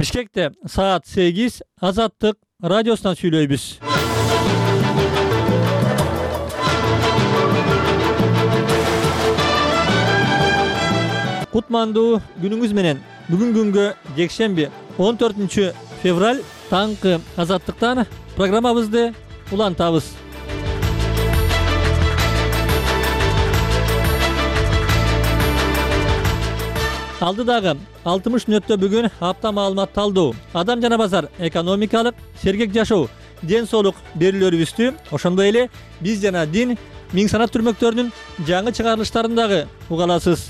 Бишкекте саат 8 Азаттык радиосунан сүйлөйбүз. Кутмандуу күнүңүз менен. Бүгүн күнгө жекшемби 14 февраль таңкы Азаттыктан программабызды улантабыз. Алдыдагы 60 мүнөттө бүгүн апта маалымат талдоо, адам жана базар, экономикалык, сергек жашоо, ден соолук берүүлөрүбүздү, ошондой эле биз жана дин миң санат түрмөктөрүнүн жаңы чыгарылыштарын дагы уга аласыз.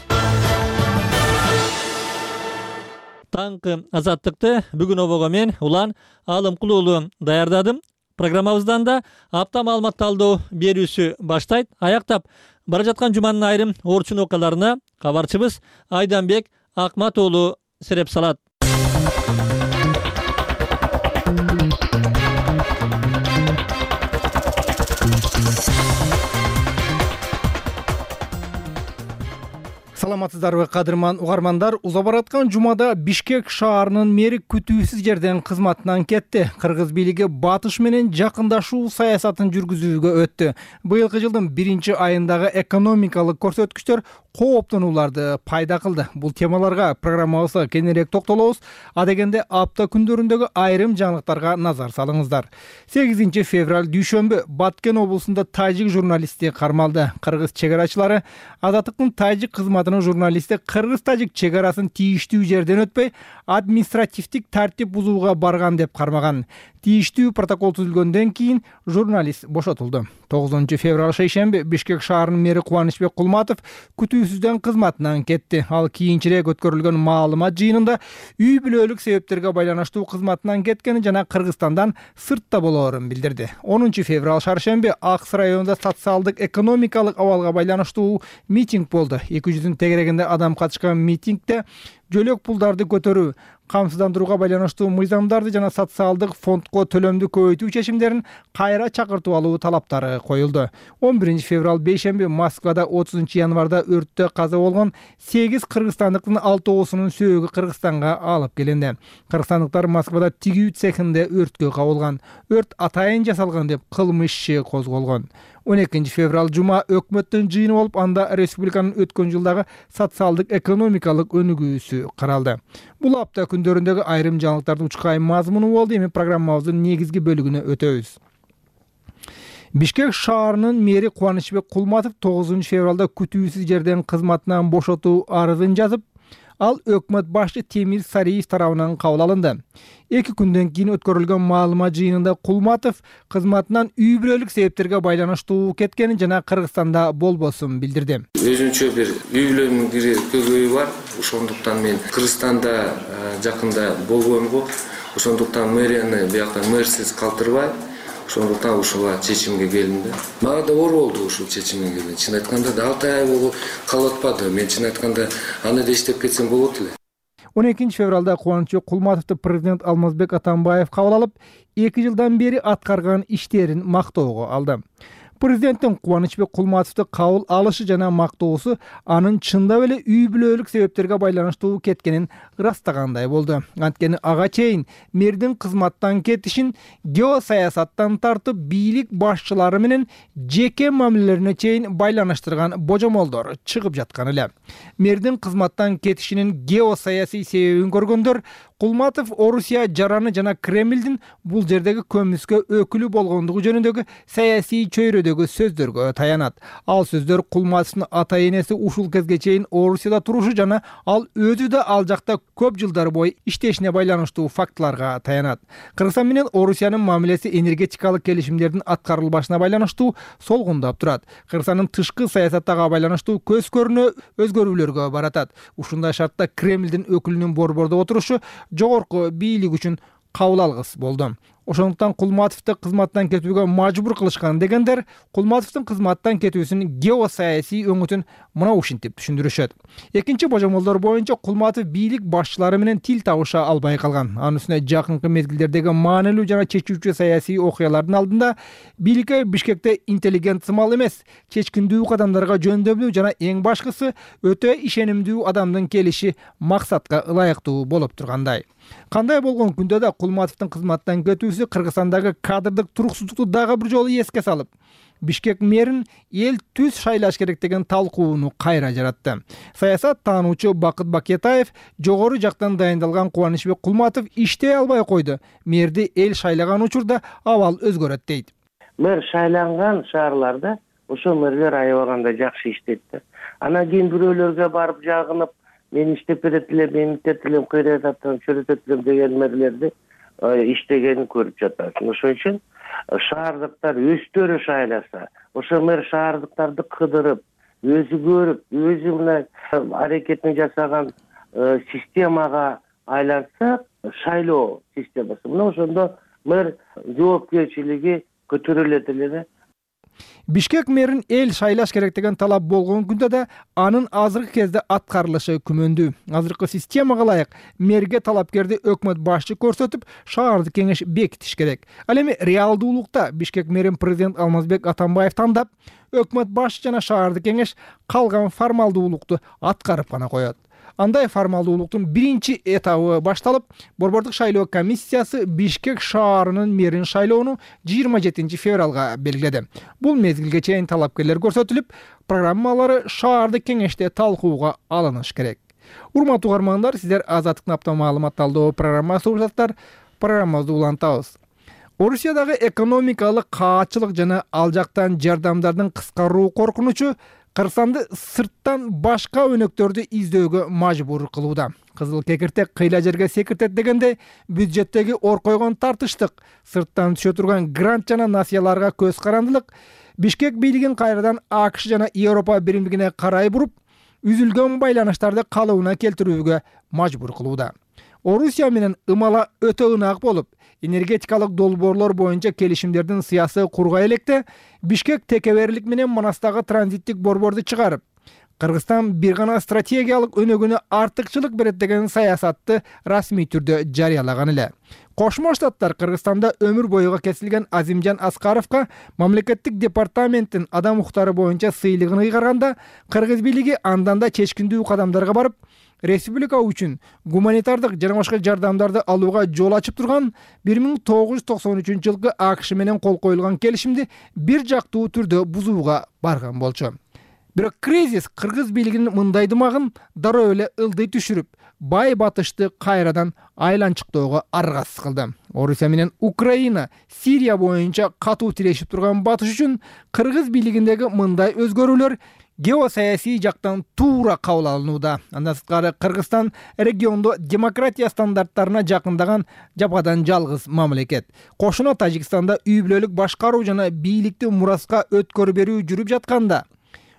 Таңкы Азаттыкты бүгүн обого мен Улан Алымкулуулу даярдадым. Программабыздан да апта маалымат талдоо берүүсү баштайт. Аяктап бара жаткан жуманын айрым орчун окуяларына кабарчыбыз Айданбек Акмат уулу сереп салат. Саламатсыздарбы кадырман угармандар, уза бараткан жумада Бишкек шаарынын мэри күтүүсүз жерден кызматынан кетти. Кыргыз бийлиги батыш менен жакындашуу саясатын жүргүзүүгө өттү. Быйылкы жылдын 1-айындагы экономикалык көрсөткүчтөр кооптонууларды пайда кылды. Бул темаларга программабызда кененирээк токтолобуз. Адегенде апта күндөрүндөгү айрым жаңылыктарга назар салыңыздар. 8 февраль дүйшөмбү Баткен облусунда тажик журналисти кармалды. Кыргыз чегарачылары Азаттыктын тажик кызматынын журналисти кыргыз-тажик чегарасын тийиштүү жерден өтпөй административдик тартип бузууга барган деп кармаган. Тийиштүү протокол түзүлгөндөн кийин журналист бошотулду. 9 февраль шейшемби Бишкек шаарынын мэри Кубанычбек Кулматов күтүүсүздөн кызматынан кетти. Ал кийинчерээк өткөрүлгөн маалымат жыйынында үй бүлөлүк себептерге байланыштуу кызматынан кеткени жана Кыргызстандан сыртта болоорун билдирди. 10 февраль шаршемби Акс районунда социалдык экономикалык абалга байланыштуу митинг болду. 200 тегерегинде адам катышкан митингде жөлөк пулдарды көтөрүү, камсыздандырууга байланыштуу мыйзамдарды жана социалдык фондко төлөмдү көбөйтүү чечимдерин кайра чакыртып алуу талаптары коюлду. 11 февраль бейшемби Москвада 30 январда өрттө каза болгон 8 кыргызстандыктын 6-оосунун сөөгү Кыргызстанга алып келинди. Кыргызстандыктар Москвада тигүү цехинде өрткө кабылган. Өрт атайын жасалган деп кылмыш иши козголгон. 12 февраль жума өкмөттүн жыйыны болуп, анда республиканын өткөн жылдагы социалдык экономикалык өнүгүүсү каралды. Бул апта күндөрүндөгү айрым жаңылыктардын учкай мазмуну болду. Эми программабыздын негизги бөлүгүнө өтөбүз. Бишкек шаарынын мэри Кубанычбек Кулматов 9 февралда күтүүсүз жерден кызматынан бошотуу арызын жазып, ал өкмөт башчы Темир Сариев тарабынан кабыл алынды. 2 күндөн кийин өткөрүлгөн маалымат жыйынында Кулматов кызматынан үй бүлөлүк себептерге байланыштуу кеткенин жана Кыргызстанда болбосун билдирди. Өзүнчө бир үй бүлөнүн көйгөйү бар. Ошондуктан мен Кыргызстанда жакында болбоймго. Ошондуктан мэрияны биякта мэрсиз калтырбай, ошондуктан ушуга чечимге келдим да. Мага да оор болду ушул чечимге келген. Чын айтканда да 6 ай болуп калып атпады. Мен чын айтканда аны да иштеп кетсем болот эле. 12 февралда Кубанычбек Кулматовду президент Алмазбек Атамбаев кабыл алып, 2 жылдан бери аткарган иштерин мактоого алды. Президенттин Кубанычбек Кулматовду кабыл алышы жана мактоосу анын чындап эле үй бүлөлүк себептерге байланыштуу кеткенин ырастагандай болду. Анткени ага чейин мэрдин кызматтан кетишин геосаясаттан тартып бийлик башчылары менен жеке мамилелерине чейин байланыштырган божомолдор чыгып жаткан эле. Мэрдин кызматтан кетишинин геосаясий себебин көргөндөр Кулматов Орусия жараны жана Кремлдин бул жердеги көмүскө өкүлү болгондугу жөнүндөгү саясий чөйрөдөгү сөздөргө таянат. Ал сөздөр Кулматовдун ата-энеси ушул кезге чейин Орусияда турушу жана ал өзү да ал жакта көп жылдар бою иштешине байланыштуу фактыларга таянат. Кыргызстан менен Орусиянын мамилеси энергетикалык келишимдердин аткарылбашына байланыштуу солгундап турат. Кыргызстандын тышкы саясаттага байланыштуу көз көрүнө өзгөрүүлөргө баратат. Ушундай шартта Кремлдин өкүлүнүн борбордо отурушу жогорку бийлик үчүн кабыл алгыс болду. Ошондуктан Кулматовду кызматтан кетүүгө мажбур кылышкан дегендер Кулматовдун кызматтан кетүүсүнүн геосаясий өңүтүн мына ушинтип түшүндүрүшөт. Экинчи божомолдор боюнча Кулматов бийлик башчылары менен тил табыша албай калган. Анын үстүнө жакынкы мезгилдердеги маанилүү жана чечүүчү саясий окуялардын алдында бийликке Бишкекте интеллигент сымал эмес, чечкиндүү кадамдарга жөндөмдүү жана эң башкысы өтө ишенимдүү адамдын келиши максатка ылайыктуу болуп тургандай. Кандай болгон күндө да Кулматовдун кызматтан кетүүсү Кыргызстандагы кадрдык туруксуздукту дагы бир жолу эске салып, Бишкек мэрин эл түз шайлаш керек деген талкууну кайра жаратты. Саясат таануучу Бакыт Бакетаев жогору жактан дайындалган Кубанычбек Кулматов иштей албай койду. Мэрди эл шайлаган учурда абал өзгөрөт дейт. Мэр шайланган шаарларда ошо мэрлер аябаганда жакшы иштейт да. Анан кийин бирөөлөргө барып жагынып, мен иштеп берет элем, мен иштеп элем, кыйрататтан чөрөтөт элем деген мэрлерди иштегенин көрүп жатасың. Ошон үчүн шаардыктар өздөрү шайласа, ошо мэр шаардыктарды кыдырып, өзү көрүп, өзү мына аракетин жасаган системага айланса, шайлоо системасы. Мына ошондо мэр жоопкерчилиги көтөрүлөт эле. Бишкек мэрин эл шайлаш керек деген талап болгон күндө да анын азыркы кезде аткарылышы күмөндүү. Азыркы системага ылайык мэрге талапкерди өкмөт башчы көрсөтүп, шаардык кеңеш бекитиш керек. Ал эми реалдуулукта Бишкек мэрин президент Алмазбек Атамбаев тандап, өкмөт башчы жана шаардык кеңеш калган формалдуулукту аткарып гана коет. Андай формалдуулуктун биринчи этабы башталып, Борбордук шайлоо комиссиясы Бишкек шаарынын мэрин шайлоону 27 февралга белгиледи. Бул мезгилге чейин талапкерлер көрсөтүлүп, программалары шаардык кеңеште талкууга алыныш керек. Урматтуу угармандар, сиздер Азаттыктын апта маалымат талдоо программасы угушасыздар. Программабызды улантабыз. Орусиядагы экономикалык каатчылык жана ал жактан жардамдардын кыскаруу коркунучу Кыргызстанды сырттан башка өнөктөрдү издөөгө мажбур кылууда. Кызыл кекиртек кыйла жерге секиртет дегенде бюджеттеги ор койгон тартыштык, сырттан түшө турган грант жана насыяларга көз карандылык Бишкек бийлигин кайрадан АКШ жана Европа биримдигине карай буруп, үзүлгөн байланыштарды калыбына келтирүүгө мажбур кылууда. Орусия менен ымала өтө ынак болуп, энергетикалык долбоорлор боюнча келишимдердин сыясы кургай электе, Бишкек текеберлик менен Манастагы транзиттик борборду чыгарып, Кыргызстан бир гана стратегиялык өнөгүнө артыкчылык берет деген саясатты расмий түрдө жарыялаган эле. Кошмо Штаттар Кыргызстанда өмүр боюга кесилген Азимжан Аскаровго мамлекеттик департаменттин адам укуктары боюнча сыйлыгын ыйгарганда, Кыргыз бийлиги андан да чечкиндүү кадамдарга барып, республика үчүн гуманитардык жана башка жардамдарды алууга жол ачып турган 1993 жылкы АКШ менен кол коюлган келишимди бир жактуу түрдө бузууга барган болчу. Бирок кризис кыргыз бийлигинин мындай дымагын дароо эле ылдый түшүрүп, бай батышты кайрадан айланчыктоого аргасыз кылды. Орусия менен Украина, Сирия боюнча катуу тирешип турган батыш үчүн кыргыз бийлигиндеги мындай өзгөрүүлөр геосаясий жактан туура кабыл алынууда. Андан сырткары Кыргызстан региондо демократия стандарттарына жакындаган жападан жалгыз мамлекет. Кошуна Тажикстанда үй бүлөлүк башкаруу жана бийликти мураска өткөрүп берүү жүрүп жатканда,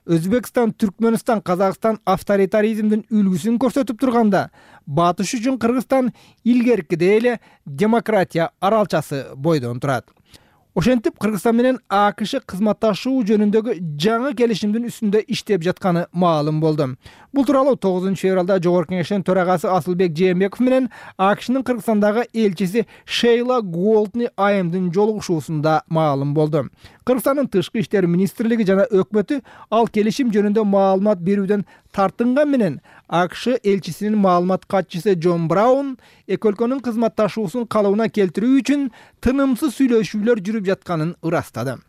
Өзбекстан, Түркмөнстан, Казакстан авторитаризмдин үлгүсүн көрсөтүп турганда, батыш үчүн Кыргызстан илгеркидей эле демократия аралчасы бойдон турат. Ошентип Кыргызстан менен АКШ кызматташуу жөнүндөгү жаңы келишимдин үстүндө иштеп жатканы маалым болду. Бул тууралуу 9 февралда Жогорку Кеңештин төрагасы Асылбек Жээнбеков менен АКШнын Кыргызстандагы элчиси Шейла Голдни айымдын жолугушуусунда маалым болду. Кыргызстандын тышкы иштер министрлиги жана өкмөтү ал келишим жөнүндө маалымат берүүдөн тартынган менен АКШ элчисинин маалымат катчысы Джон Браун эки өлкөнүн кызматташуусун калыбына келтирүү үчүн тынымсыз сүйлөшүүлөр жүрүп жатканын ырастады.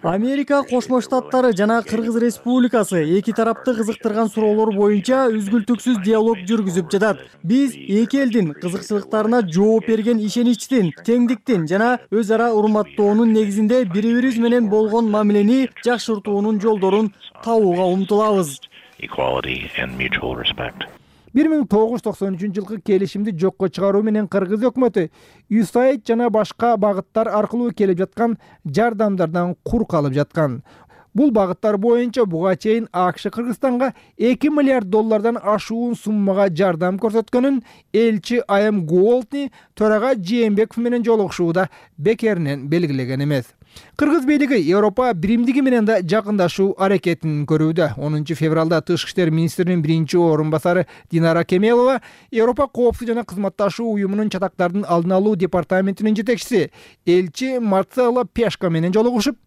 Америка Кошмо Штаттары жана Кыргыз Республикасы эки тарапты кызыктырган суроолор боюнча үзгүлтүксүз диалог жүргүзүп жатат. Биз эки элдин кызыкчылыктарына жооп берген ишеничтин, теңдиктин жана өз ара урматтоонун негизинде бири-бирибиз менен болгон мамилени жакшыртуунун жолдорун табууга умтулабыз. 1993 жылкы келишимди жокко чыгаруу менен Кыргыз өкмөтү USAID жана башка багыттар аркылуу келип жаткан жардамдардан кур калып жаткан. Бул багыттар боюнча буга чейин АКШ Кыргызстанга 2 миллиард доллардан ашуун суммага жардам көрсөткөнүн элчи Айым Голдни төрага Жээнбеков менен жолугушууда бекеринен белгилеген эмес. Кыргыз бийлиги Европа биримдиги менен да жакындашуу аракетин көрүүдө. 10 февралда Тышкы иштер министринин биринчи орун басары Динара Кемелова Европа коопсуздук жана кызматташуу уюмунун чатактардын алдын алуу департаментинин жетекчиси элчи Марцелло Пешко менен жолугушуп,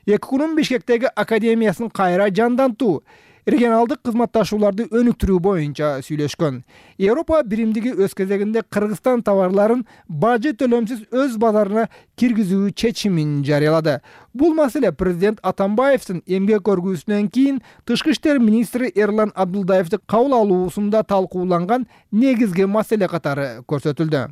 2 күнүн Бишкектеги академиясын кайра жандантуу, регионалдык кызматташууларды өнүктүрүү боюнча сүйлөшкөн. Европа биримдиги өз кезегинде Кыргызстан товарларын бажы төлөмсүз өз базарына киргизүү чечимин жарыялады. Бул маселе президент Атамбаевдин эмгек көргүүсүнөн кийин Тышкы иштер министри Эрлан Абдулдаевди кабыл алуусунда талкууланган негизги маселе катары көрсөтүлдү.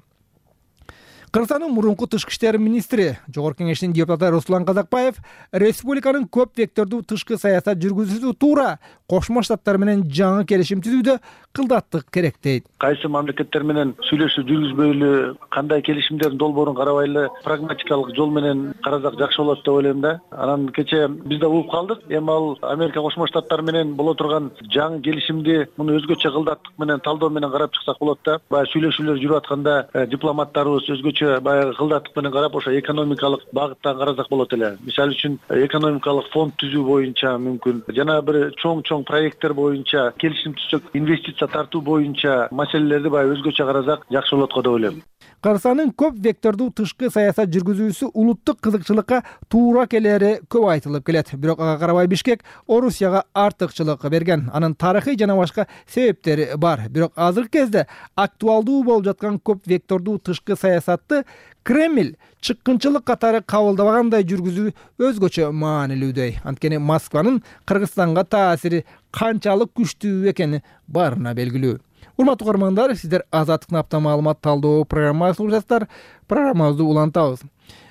Кыргызстандын мурунку тышкы иштер министри, Жогорку Кеңештин депутаты Руслан Казакбаев республиканын көп вектордуу тышкы саясат жүргүзүүсү туура Кошмо Штаттар менен жаңы келишим түзүүдө кылдаттык керек дейт. Кайсы мамлекеттер менен сүйлөшүү жүргүзбөйлү, кандай келишимдердин долбоорун карабайлы, прагматикалык жол менен карасак жакшы болот деп ойлойм да. Анан кече биз да угуп калдык. Эми ал Америка Кошмо Штаттар менен боло турган жаңы келишимди муну өзгөчө кылдаттык менен, талдоо менен карап чыксак болот да. Баягы сүйлөшүүлөр жүрүп атканда дипломаттарыбыз өзгөчө баягы кылдаттык менен карап, ошо экономикалык багыттан карасак болот эле. Мисалы үчүн экономикалык фонд түзүү боюнча мүмкүн, жана бир чоң проекттер боюнча келишим түзсөк, инвестиция тартуу боюнча маселелерди баягы өзгөчө карасак жакшы болот го деп ойлойм. Кыргызстандын көп вектордуу тышкы саясат жүргүзүүсү улуттук кызыкчылыкка туура келери көп айтылып келет. Бирок ага карабай Бишкек Орусияга артыкчылык берген. Анын тарыхый жана башка себептери бар. Бирок азыркы кезде актуалдуу болуп жаткан көп вектордуу тышкы саясатты Кремль чыккынчылык катары кабылдабагандай жүргүзүү өзгөчө маанилүүдөй. Анткени Москванын Кыргызстанга таасири канчалык күчтүү экени барына белгилүү. Урматтуу көрөрмандар, сиздер Азаттыктын апта маалымат талдоо программасын угуп жатасыздар. Программабызды улантабыз.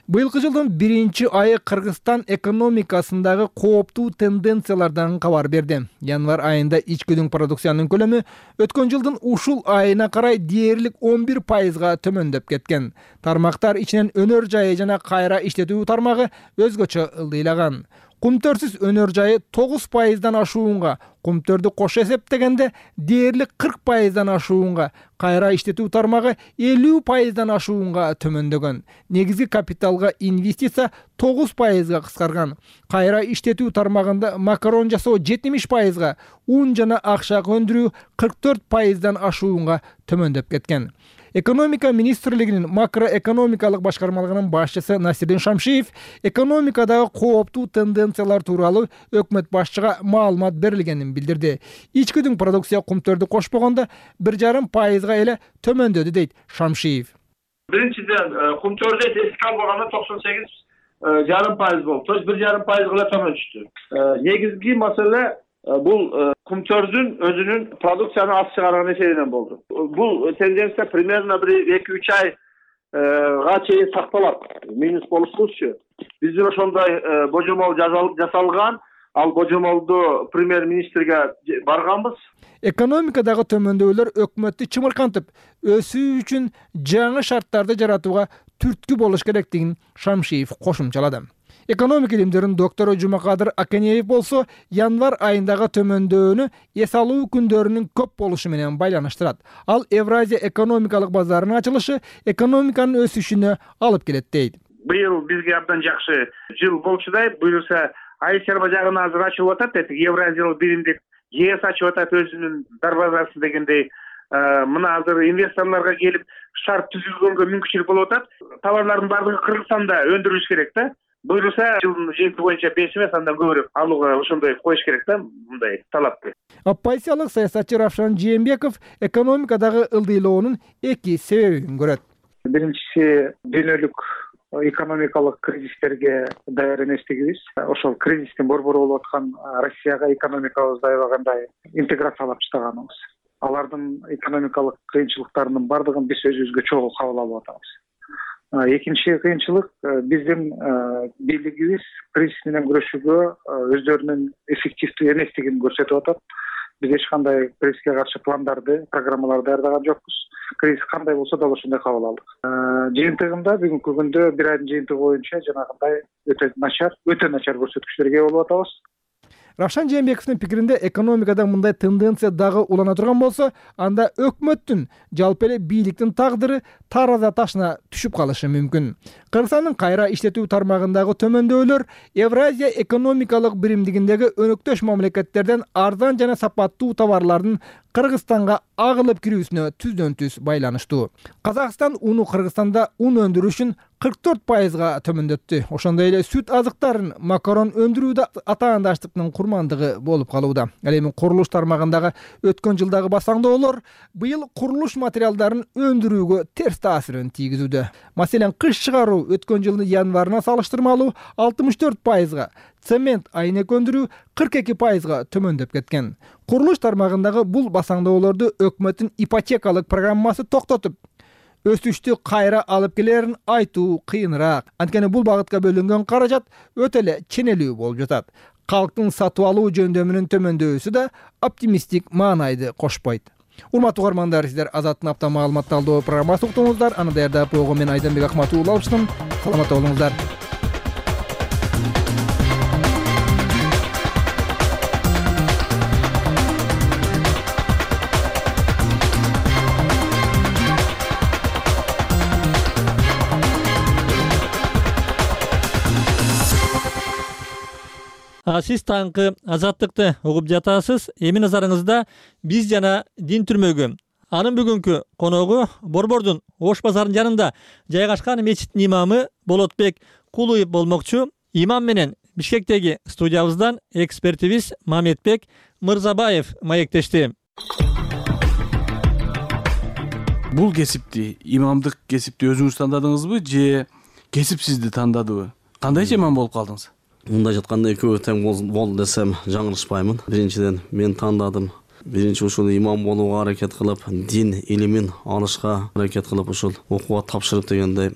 Быйылкы жылдын 1-айы Кыргызстан экономикасындагы кооптуу тенденциялардан кабар берди. Январь айында ичкүдүн продукциянын көлөмү өткөн жылдын ушул айына карай дээрлик 11%га төмөндөп кеткен. Тармактар ичинен өнөр жайы жана кайра иштетүү тармагы өзгөчө ылдыйлаган. Кумтөрсүз өнөр жайы 9%дан ашуунга, кумтөрдү кош эсептегенде дээрлик 40%дан ашуунга, кайра иштетүү тармагы 50%дан ашуунга төмөндөгөн. Негизги капиталга инвестиция 9%га кыскарган. Кайра иштетүү тармагында макарон жасоо 70%га, ун жана акча өндүрүү 44%дан ашуунга төмөндөп кеткен. Экономика министрлигинин макроэкономикалык башкармалыгынын башчысы Насирдин Шамшиев экономикадагы кооптуу тенденциялар тууралуу өкмөт башчыга маалымат берилгенин билдирди. Ичкүдүн продукция кумтөрдү кошпогондо 1,5%га эле төмөндөдү дейт Шамшиев. Биринчиден кумтөрдү эске албаганда 98,5% болду. То есть 1,5%га эле төмөн түштү. Негизги маселе бул кумтөрдүн өзүнүн продукцияны аз чыгарган эсебинен болду. Бул тенденция примерно 1-2-3 айга чейин сакталат. Минус болушубузчу. Биздин ошондой божомол жасалган. Ал божомолду премьер-министрге барганбыз. Экономикадагы төмөндөөлөр өкмөттү чымыркантып, өсүү үчүн жаңы шарттарды жаратууга түрткү болуш керектигин Шамшиев кошумчалады. Экономика илимдеринин доктору Жумакадыр Акенеев болсо, январь айындагы төмөндөөнү эс алуу күндөрүнүн көп болушу менен байланыштырат. Ал Евразия экономикалык базарынын ачылышы экономиканын өсүшүнө алып келет дейт. Быйыл бизге абдан жакшы жыл болчудай. Буюрса Айсерба жагына азыр ачылып атат, Евразиялык биримдик ЕС ачып атат өзүнүн дарбазасын дегендей. Мына азыр инвесторлорго келип шарт түзүлгөнгө мүмкүнчүлүк болуп атат. Товарлардын баардыгы Кыргызстанда өндүрүлүш керек да. Буюрса жылдын жыйынты боюнча 5 эмес, андан көбүрөөк алууга ошондой коюш керек да, мындай талапты. Оппозициялык саясатчы Равшан Жээнбеков экономикадагы ылдыйлоонун 2 себебин көрөт. Биринчиси дүйнөлүк экономикалык кризистерге даяр эместигибиз. Ошол кризистин борбору болуп аткан Россияга экономикабызды аябагандай интеграциялап таштаганыбыз. Алардын экономикалык кыйынчылыктарынын бардыгын биз өзүбүзгө чогуу кабыл алып атабыз. Экинчи кыйынчылык биздин бийлигибиз кризис менен күрөшүүгө өздөрүнүн эффективдүү эместигин көрсөтүп атат. Биз эч кандай кризиске каршы пландарды, программаларды даярдаган жокпуз. Кризис кандай болсо да ошондой кабыл алдык. Жыйынтыгында бүгүнкү күндө бир айдын жыйынтыгы боюнча жанагындай өтө начар көрсөткүчтөргө болуп атабыз. Равшан Жээнбековдун пикиринде экономикада мындай тенденция дагы улана турган болсо, анда өкмөттүн, жалпы эле бийликтин тагдыры тараза ташына түшүп калышы мүмкүн. Кыргызстандын кайра иштетүү тармагындагы төмөндөөлөр Евразия экономикалык биримдигиндеги өнөктөш мамлекеттерден арзан жана сапаттуу товарлардын Кыргызстанга агылып кирүүсүнө түздөн-түз байланыштуу. Казакстан уну Кыргызстанда ун өндүрүшүн 44%га төмөндөттү. Ошондой эле сүт азыктарын, макарон өндүрүүдө атаандаштыктын курмандыгы болуп калууда. Ал эми курулуш тармагындагы өткөн жылдагы басаңдоолор быйыл курулуш материалдарын өндүрүүгө терс таасирин тийгизүүдө. Маселен, кыш чыгаруу өткөн жылдын январына салыштырмалуу 64%га, цемент, айнек өндүрүү 42%га төмөндөп кеткен. Курулуш тармагындагы бул басаңдоолорду өкмөттүн ипотекалык программасы токтотуп, өсүштү кайра алып келерин айтуу кыйыныраак. Анткени бул багытка бөлүнгөн каражат өтө эле ченелүү болуп жатат. Калктын сатып алуу жөндөмүнүн төмөндөүүсү да оптимисттик маанайды кошпойт. Урматтуу угармандар, сиздер Азаттын апта маалымат талдоо программасын уктуңуздар. Аны даярдап койгон мен Айданбек Акматов алыштым. Саламатта болуңуздар. Сиз таңкы Азаттыкты угуп жатасыз. Эми назарыңызда биз жана дин түрмөгү. Анын бүгүнкү коногу Борбордун Ош базарынын жанында жайгашкан мечиттин имамы Болотбек Кулуев болмокчу. Имам менен Бишкектеги студиябыздан экспертибиз Мамедбек Мырзабаев маектешти. Бул кесипти, имамдык кесипти өзүңүз тандадыңызбы же кесип сизди тандадыбы? Кандайча имам болуп калдыңыз? Мындай жатканда экөө тең болду десем жаңылышпаймын. Биринчиден мен тандадым. Биринчи ушул имам болууга аракет кылып, дин илимин алышка аракет кылып, ушул окууга тапшырып дегендей.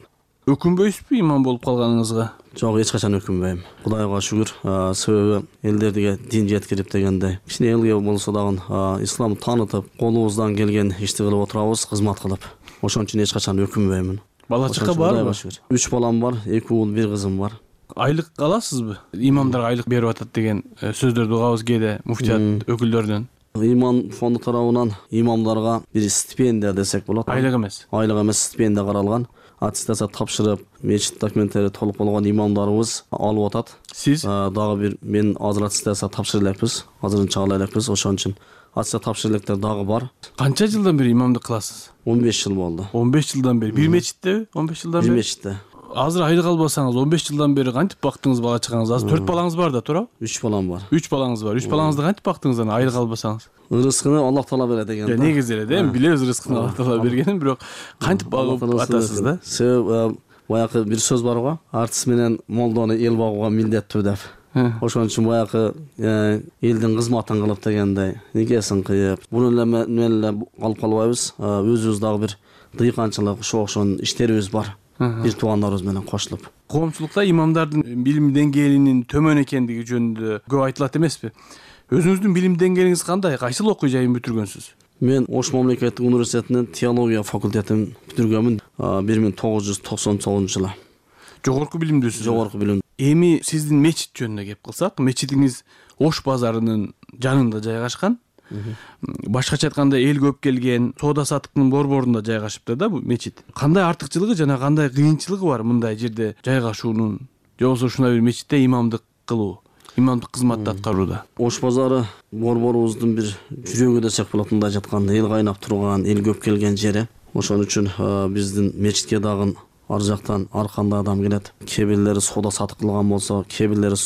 Өкүнбөйсүзбү имам болуп калганыңызга? Жок, эч качан өкүнбөйм. Кудайга шүгүр, себеби элдерге дин жеткирип дегендей. Кичине элге болсо дагы ислам таанытып, колубуздан келген ишти кылып отурабыз, кызмат кылып. Ошон үчүн эч качан өкүнбөймүн. Бала чака барбы? 3 балам бар, 2 уул, 1 кызым бар. Айлык аласызбы? Имамдарга айлык берип атат деген сөздөрдү угабыз кээде муфтият өкүлдөрүнөн. Иман фонду тарабынан имамдарга бир стипендия десек болот. Айлык эмес. Айлык эмес, стипендия каралган. Аттестация тапшырып, мечит документтери толук болгон имамдарыбыз алып атат. Сиз дагы бир мен азыр аттестация тапшыра элекпиз. Азырын чыгара элекпиз, ошон үчүн аттестация тапшыра электер дагы бар. Канча жылдан бери имамдык кыласыз? 15 жыл болду. 15 жылдан бери. Бир мечиттеби? 15 жылдан бери? Бир мечитте. Азыр айлык албасаңыз 15 жылдан бери кантип бактыңыз бала чагаңыз? Азыр 4 балаңыз бар да, туурабы? 3 балам бар. 3 балаңыз бар. 3 балаңызды кантип бактыңыз аны айлык албасаңыз? Рызкыны Аллах Таала берет деген да. Негизи эле да, билебиз рызкыны Аллах Таала бергенин, бирок кантип багып атасыз да? Себеби баягы бир сөз бар го, артист менен молдону эл багууга милдеттүү деп. Ошон үчүн баягы элдин кызматын кылып дегендей, никесин кыйып, буну эле менен эле алып калбайбыз. Өзүбүз дагы бир дыйканчылык, ошон иштерибиз бар. Бир туугандарыбыз менен кошулуп. Коомчулукта имамдардын билим деңгээлинин төмөн экендиги жөнүндө көп айтылат эмеспи? Өзүңүздүн билим деңгээлиңиз кандай? Кайсыл окуу жайын бүтүргөнсүз? Мен Ош мамлекеттик университетинин теология факультетин бүтүргөнмүн 1999 жылы. Жогорку билимдүүсүз? Жогорку билим. Эми сиздин мечит жөнүндө кеп кылсак, мечитиңиз Ош базарынын жанында жайгашкан. Башкача айтканда эл көп келген, соода саттыктын борборунда жайгашыпты да бул мечит. Кандай артыкчылыгы жана кандай кыйынчылыгы бар мындай жерде жайгашуунун, же болбосо ушундай бир мечитте имамдык кылуу, имамдык кызматты аткарууда? Ош базары борборубуздун бир жүрөгү десек болот, мындай жатканда эл кайнап турган, эл көп келген жери. Ошон үчүн биздин мечитке дагы ар жактан ар кандай адам келет. Кээ бирлери соода сатык кылган болсо, кээ бирлери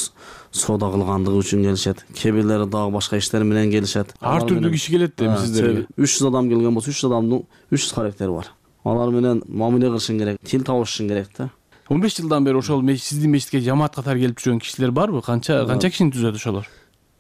соода кылгандыгы үчүн келишет, кээ бирлери дагы башка иштер менен келишет. Ар түрдүү киши келет да сиздерге. 300 адам келген болсо, 300 адамдын 300 характери бар. Алар менен мамиле кылышың керек, тил табышың керек да. 15 жылдан бери ошол сиздин мечитке жамаат катары келип жүргөн кишилер барбы? Канча кишини түзөт ошолор?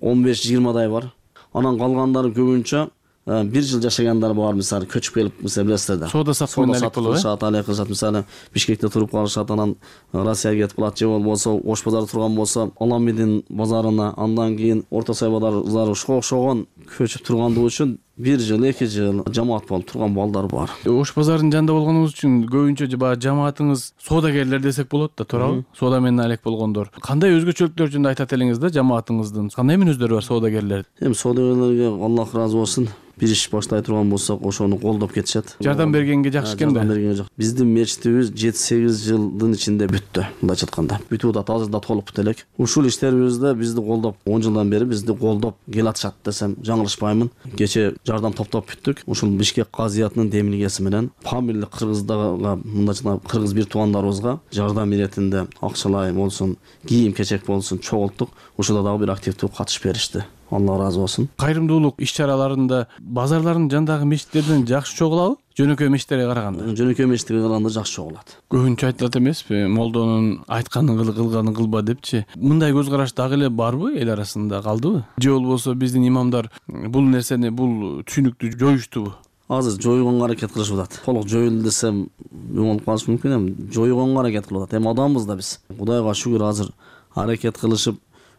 15-20дай бар. Анан калгандары көбүнчө 1 жыл жашагандар бар, мисалы көчүп келип, мисалы билесиздер да. Соода саттык кылышат, алек кылышат, мисалы Бишкекте туруп калышат, анан Россияга кетип калат, же болбосо Ош базары турган болсо Аламидин базарына, андан кийин Орто Сай базары ушуга окшогон көчүп тургандыгы үчүн 1 жыл 2 жыл жамаат болуп турган балдар бар. Ош базарынын жанында болгонуңуз үчүн көбүнчө баягы жамаатыңыз соодагерлер десек болот да, туурабы? Соода менен алек болгондор. Кандай өзгөчөлүктөр жөнүндө айтат элеңиз да жамаатыңыздын? Кандай мүнөздөрү бар соодагерлер? Эми соодагерлерге Аллах ыраазы болсун. Бир иш баштай турган болсок, ошону колдоп кетишет. Жардам бергенге жакшы экен да. Жардам бергенге жакшы. Биздин мечитибиз 7-8 жылдын ичинде бүттү. Мындайча айтканда, бүтүп атат, азыр да толук бүтө элек. Ушул иштерибизде бизди колдоп, 10 жылдан бери бизди колдоп келатышат десем жаңылышпаймын. Кече жардам топтоп бүттүк. Ушул Бишкек казыятынын демилгеси менен фамилия кыргыздага, мындайча кыргыз бир туугандарыбызга жардам иретинде акчалай болсун, кийим-кечек болсун чогулттук. Ушуда дагы бир активдүү катышып беришти. Алла ыраазы болсун. Кайрымдуулук иш-чараларында базарлардын жандагы мечиттерден жакшы чогулабы? Жөнөкөй мечиттерге караганда. Жөнөкөй мечиттерге караганда жакшы чогулат. Көбүнчө айтылат эмеспи? Молдонун айтканын кыл, кылганын кылба депчи. Мындай көз караш дагы эле барбы эл арасында, калдыбы? Же болбосо биздин имамдар бул нерсени, бул түшүнүктү жоюштубу? Азыр жоюгонго аракет кылышып атат. Толук жоюлду десем болуп калышы мүмкүн, эми жоюгонго аракет кылып атат. Эми адамбыз да биз. Кудайга шүгүр азыр аракет кылышып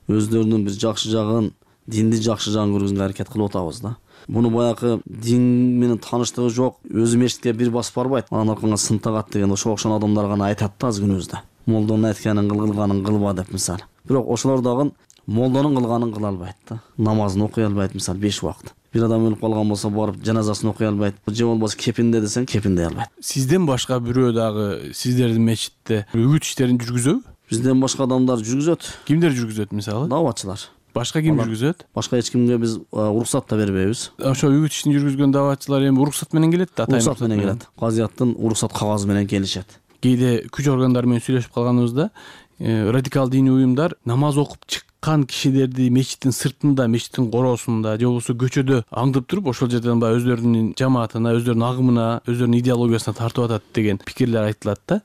өздөрүнүн бир жакшы жагын, динди жакшы жагын көргөзгөнгө аракет кылып атабыз да. Муну баягы дин менен тааныштыгы жок, өзү мечитке бир басып барбайт. Анан аркаңа сын тагат деген ошо окшогон адамдар гана айтат да азыр күнүбүздө. Молдонун айтканын кыл, кылганын кылба деп мисалы. Бирок ошолор дагы молдонун кылганын кыла албайт да. Намазын окуй албайт мисалы 5 убакыт. Бир адам өлүп калган болсо барып жаназасын окуй албайт. Же болбосо кепинде десең кепиндей албайт. Сизден башка бирөө дагы сиздердин мечитте үгүт иштерин жүргүзөбү? Бизден башка адамдар жүргүзөт. Кимдер жүргүзөт мисалы? Даватчылар. Башка ким жүргүзөт? Башка эч кимге биз уруксат да бербейбиз. Ошо үгүт ишин жүргүзгөн даватчылар эми уруксат менен келет да, атайын уруксат менен келет. Казыяттын уруксат кагазы менен келишет. Кээде күч органдары менен сүйлөшүп калганыбызда радикал диний уюмдар намаз окуп чыккан кишилерди мечиттин сыртында, мечиттин короосунда же болбосо көчөдө аңдып туруп ошол жерден баягы өздөрүнүн жамаатына, өздөрүнүн агымына, өздөрүнүн идеологиясына тартып атат деген пикирлер айтылат да.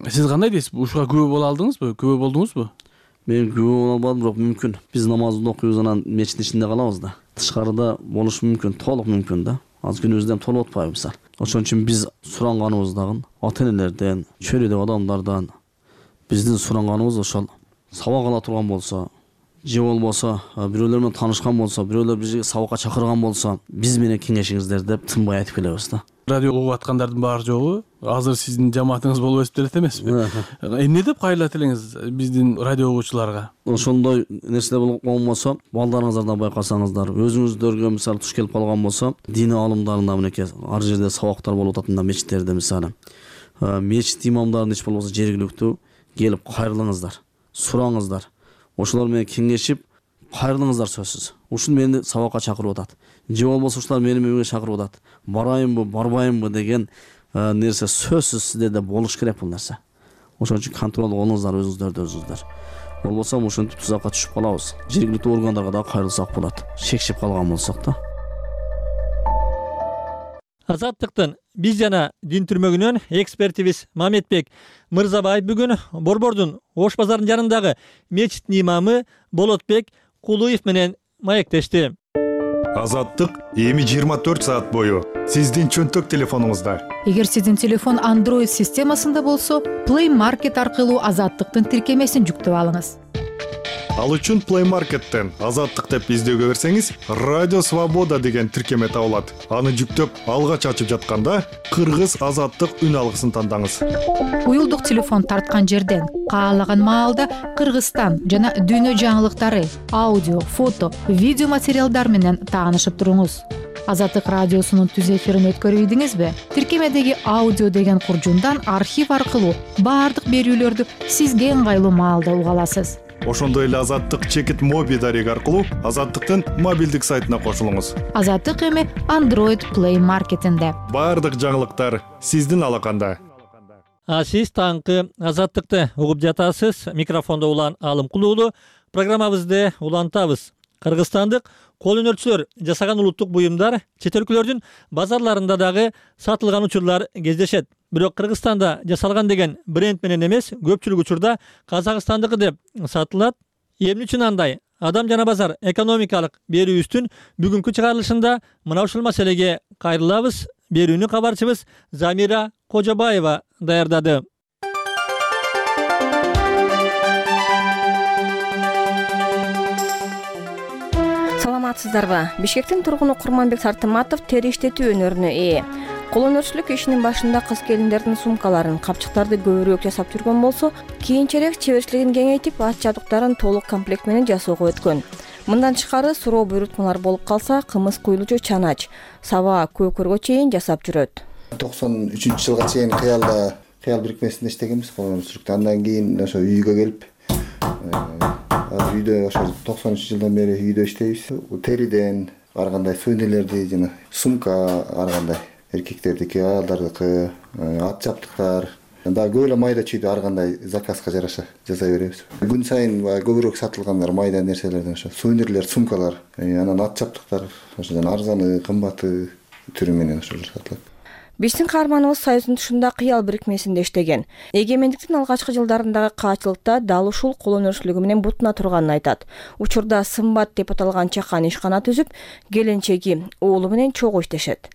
Сиз кандай дейсиз? Ушуга күбө боло алдыңызбы? Күбө болдуңузбу? Мен күбө боло албадым, бирок мүмкүн. Биз намазды окуйбуз, анан мечиттин ичинде калабыз да. Тышкарыда болушу мүмкүн, толук мүмкүн да. Азыр күнүбүздө толуп атпайбы мисалы. Ошон үчүн биз суранганыбыз дагы ата-энелерден, чөйрөдөгү адамдардан биздин суранганыбыз ошол сабак ала турган болсо, же болбосо бирөөлөр менен таанышкан болсо, бирөөлөр бизди сабакка чакырган болсо, биз менен кеңешиңиздер деп тынбай айтып келебиз да. Радио угуп аткандардын баары жогу азыр сиздин жамаатыңыз болуп өсүп келет эмеспи? Эмне деп кайрылат элеңиз биздин радио угуучуларга? Ошондой нерселер болмосо, балдарыңыздардан байкасаңыздар, өзүңүздөргө мисалы туш келип калган болсо, дин алымдарында мынекей ар жерде сабактар болуп атат, мында мечиттерде мисалы. Мечит имамдарын ич болбосо жергиликтүү келип кайрылыңыздар, сураңыздар. Ошолор менен кеңешип кайрылыңыздар сөзсүз. Ушун мени сабакка чакырып атат. Же болбосо ушулар мени үйгө чакырып атат. Барайынбы, барбайынбы деген нерсе сөзсүз сиздерде болуш керек бул нерсе. Ошон үчүн контрол кылыңыздар өзүңүздөрдү өзүңүздөр. Болбосо ушинтип тузакка түшүп калабыз. Жергиликтүү органдарга да кайрылсак болот. Шекшип калган болсок да. Азаттыктын биз жана дин түрмөгүнөн экспертибиз Мамедбек Мырзабаев бүгүн Борбордун Ош базарынын жанындагы мечиттин имамы Болотбек Кулуев менен маектешти. Азаттык эми 24 саат бою сиздин чөнтөк телефонуңузда. Эгер сиздин телефон Android системасында болсо, Play Market аркылуу Азаттыктын тиркемесин жүктөп алыңыз. Ал үчүн Play Market'тен Азаттык деп издөөгө берсеңиз, Радио Свобода деген тиркеме табылат. Аны жүктөп, алгач ачып жатканда Кыргыз Азаттык үн алгысын тандаңыз. Уюлдук телефон тарткан жерден каалаган маалда Кыргызстан жана дүйнө жаңылыктары, аудио, фото, видео материалдар менен таанышып туруңуз. Азаттык радиосунун түз эфирин өткөрүп ийдиңизби? Тиркемедеги аудио деген куржундан архив аркылуу баардык берүүлөрдү сизге ыңгайлуу маалда уга аласыз. Ошондой эле Азаттык чекит моби дареги аркылуу Азаттыктын мобилдик сайтына кошулуңуз. Азаттык эми Android Play Market'инде. Баардык жаңылыктар сиздин алаканда. Сиз таңкы Азаттыкты угуп жатасыз. Микрофондо Улан Алымкулуу уулу. Программабызды улантабыз. Кыргызстандык кол өнөрчүлөр жасаган улуттук буюмдар чет өлкөлөрдүн базарларында дагы сатылган учурлар кездешет. Бирок Кыргызстанда жасалган деген бренд менен эмес, көпчүлүк учурда Казакстандыкы деп сатылат. Эмне үчүн андай? Адам жана базар экономикалык берүүбүздүн бүгүнкү чыгарылышында мына ушул маселеге кайрылабыз. Берүүнү кабарчыбыз Замира Кожобаева даярдады. саламатсыздарбы? Бишкектин тургуну Курманбек Сартыматов тери иштетүү өнөрүнө ээ. Кол өнөрчүлүк ишинин башында кыз келиндердин сумкаларын, капчыктарды көбүрөөк жасап жүргөн болсо, кийинчерээк чеберчилигин кеңейтип, ат жабдыктарын толук комплект менен жасоого өткөн. Мындан тышкары суроо буйрутмалар болуп калса, кымыз куйлуучу чанач, саба, көкөргө чейин жасап жүрөт. 93-жылга чейин кыял бирикмесинде иштегенбиз кол өнөрчүлүктө. Андан кийин ошо үйгө келип, үйдө ошо 93-жылдан бери үйдө иштейбиз. Териден ар кандай сувенирлерди жана сумка ар кандай эркектердики, аялдардыкы, ат жабдыктар, дагы көп эле майда чүйдү ар кандай заказга жараша жасай беребиз. Күн сайын көбүрөөк сатылгандар майда нерселерден ошо сувенирлер, сумкалар, анан ат жабдыктар, ошо жана арзаны, кымбаты түрү менен ошолор сатылат. Биздин каарманыбыз Союздун тушунда кыял бирикмесинде иштеген. Эгемендиктин алгачкы жылдарындагы каачылыкта дал ушул кол өнөрчүлүгү менен бутуна турганын айтат. Учурда сымбат деп аталган чакан ишкана түзүп, келинчеги, уулу менен чогуу иштешет.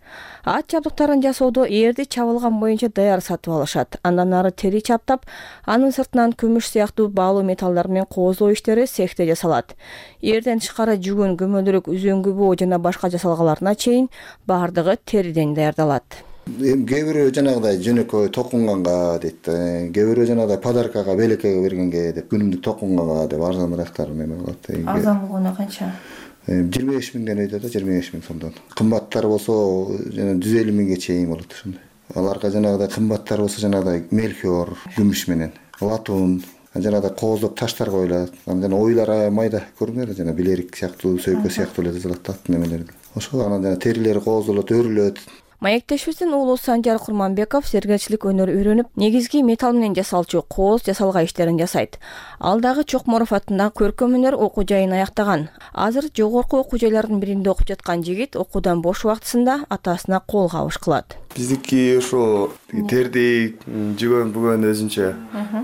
Ат жабдыктарын жасоодо ээрди чабылган боюнча даяр сатып алышат. Андан ары тери чаптап, анын сыртынан күмүш сыяктуу баалуу металлдар менен кооздоо иштери цехте жасалат. Эрден тышкары жүгүн, көмөлдүрүк, үзөңгү жана башка жасалгаларына чейин баардыгы териден даярдалат. Кээ бирөө жанагыдай жөнөкөй токунганга дейт, кээ бирөө жанагыдай подаркага, белекеге бергенге деп, күнүмдүк токунганга деп арзаныраактар эме болот. Арзан болгону канча? 25 миңден өйдө да, 25 миң сомдон. Кымбаттар болсо жана 150 миңге чейин болот ошондой. Аларга жанагыдай кымбаттар болсо жанагыдай мельхиор, күмүш менен, латун, жанагыдай кооздоп таштар коюлат. Жана ойлар майда көрүнөт, жана билерик сыяктуу, сөйкө сыяктуу эле жасалат ат немелер. Ошол анан жана терилери кооздолот, өрүлөт. Маектешибиздин уулу Санжар Курманбеков зергерчилик өнөр үйрөнүп, негизги металл менен жасалчу кооз жасалга иштерин жасайт. Ал дагы Чокморов атындагы көркөм өнөр окуу жайын аяктаган. Азыр жогорку окуу жайлардын биринде окуп жаткан жигит окуудан бош убактысында атасына кол кабыш кылат. Биздики ошо терди, жүгөн бүгөн өзүнчө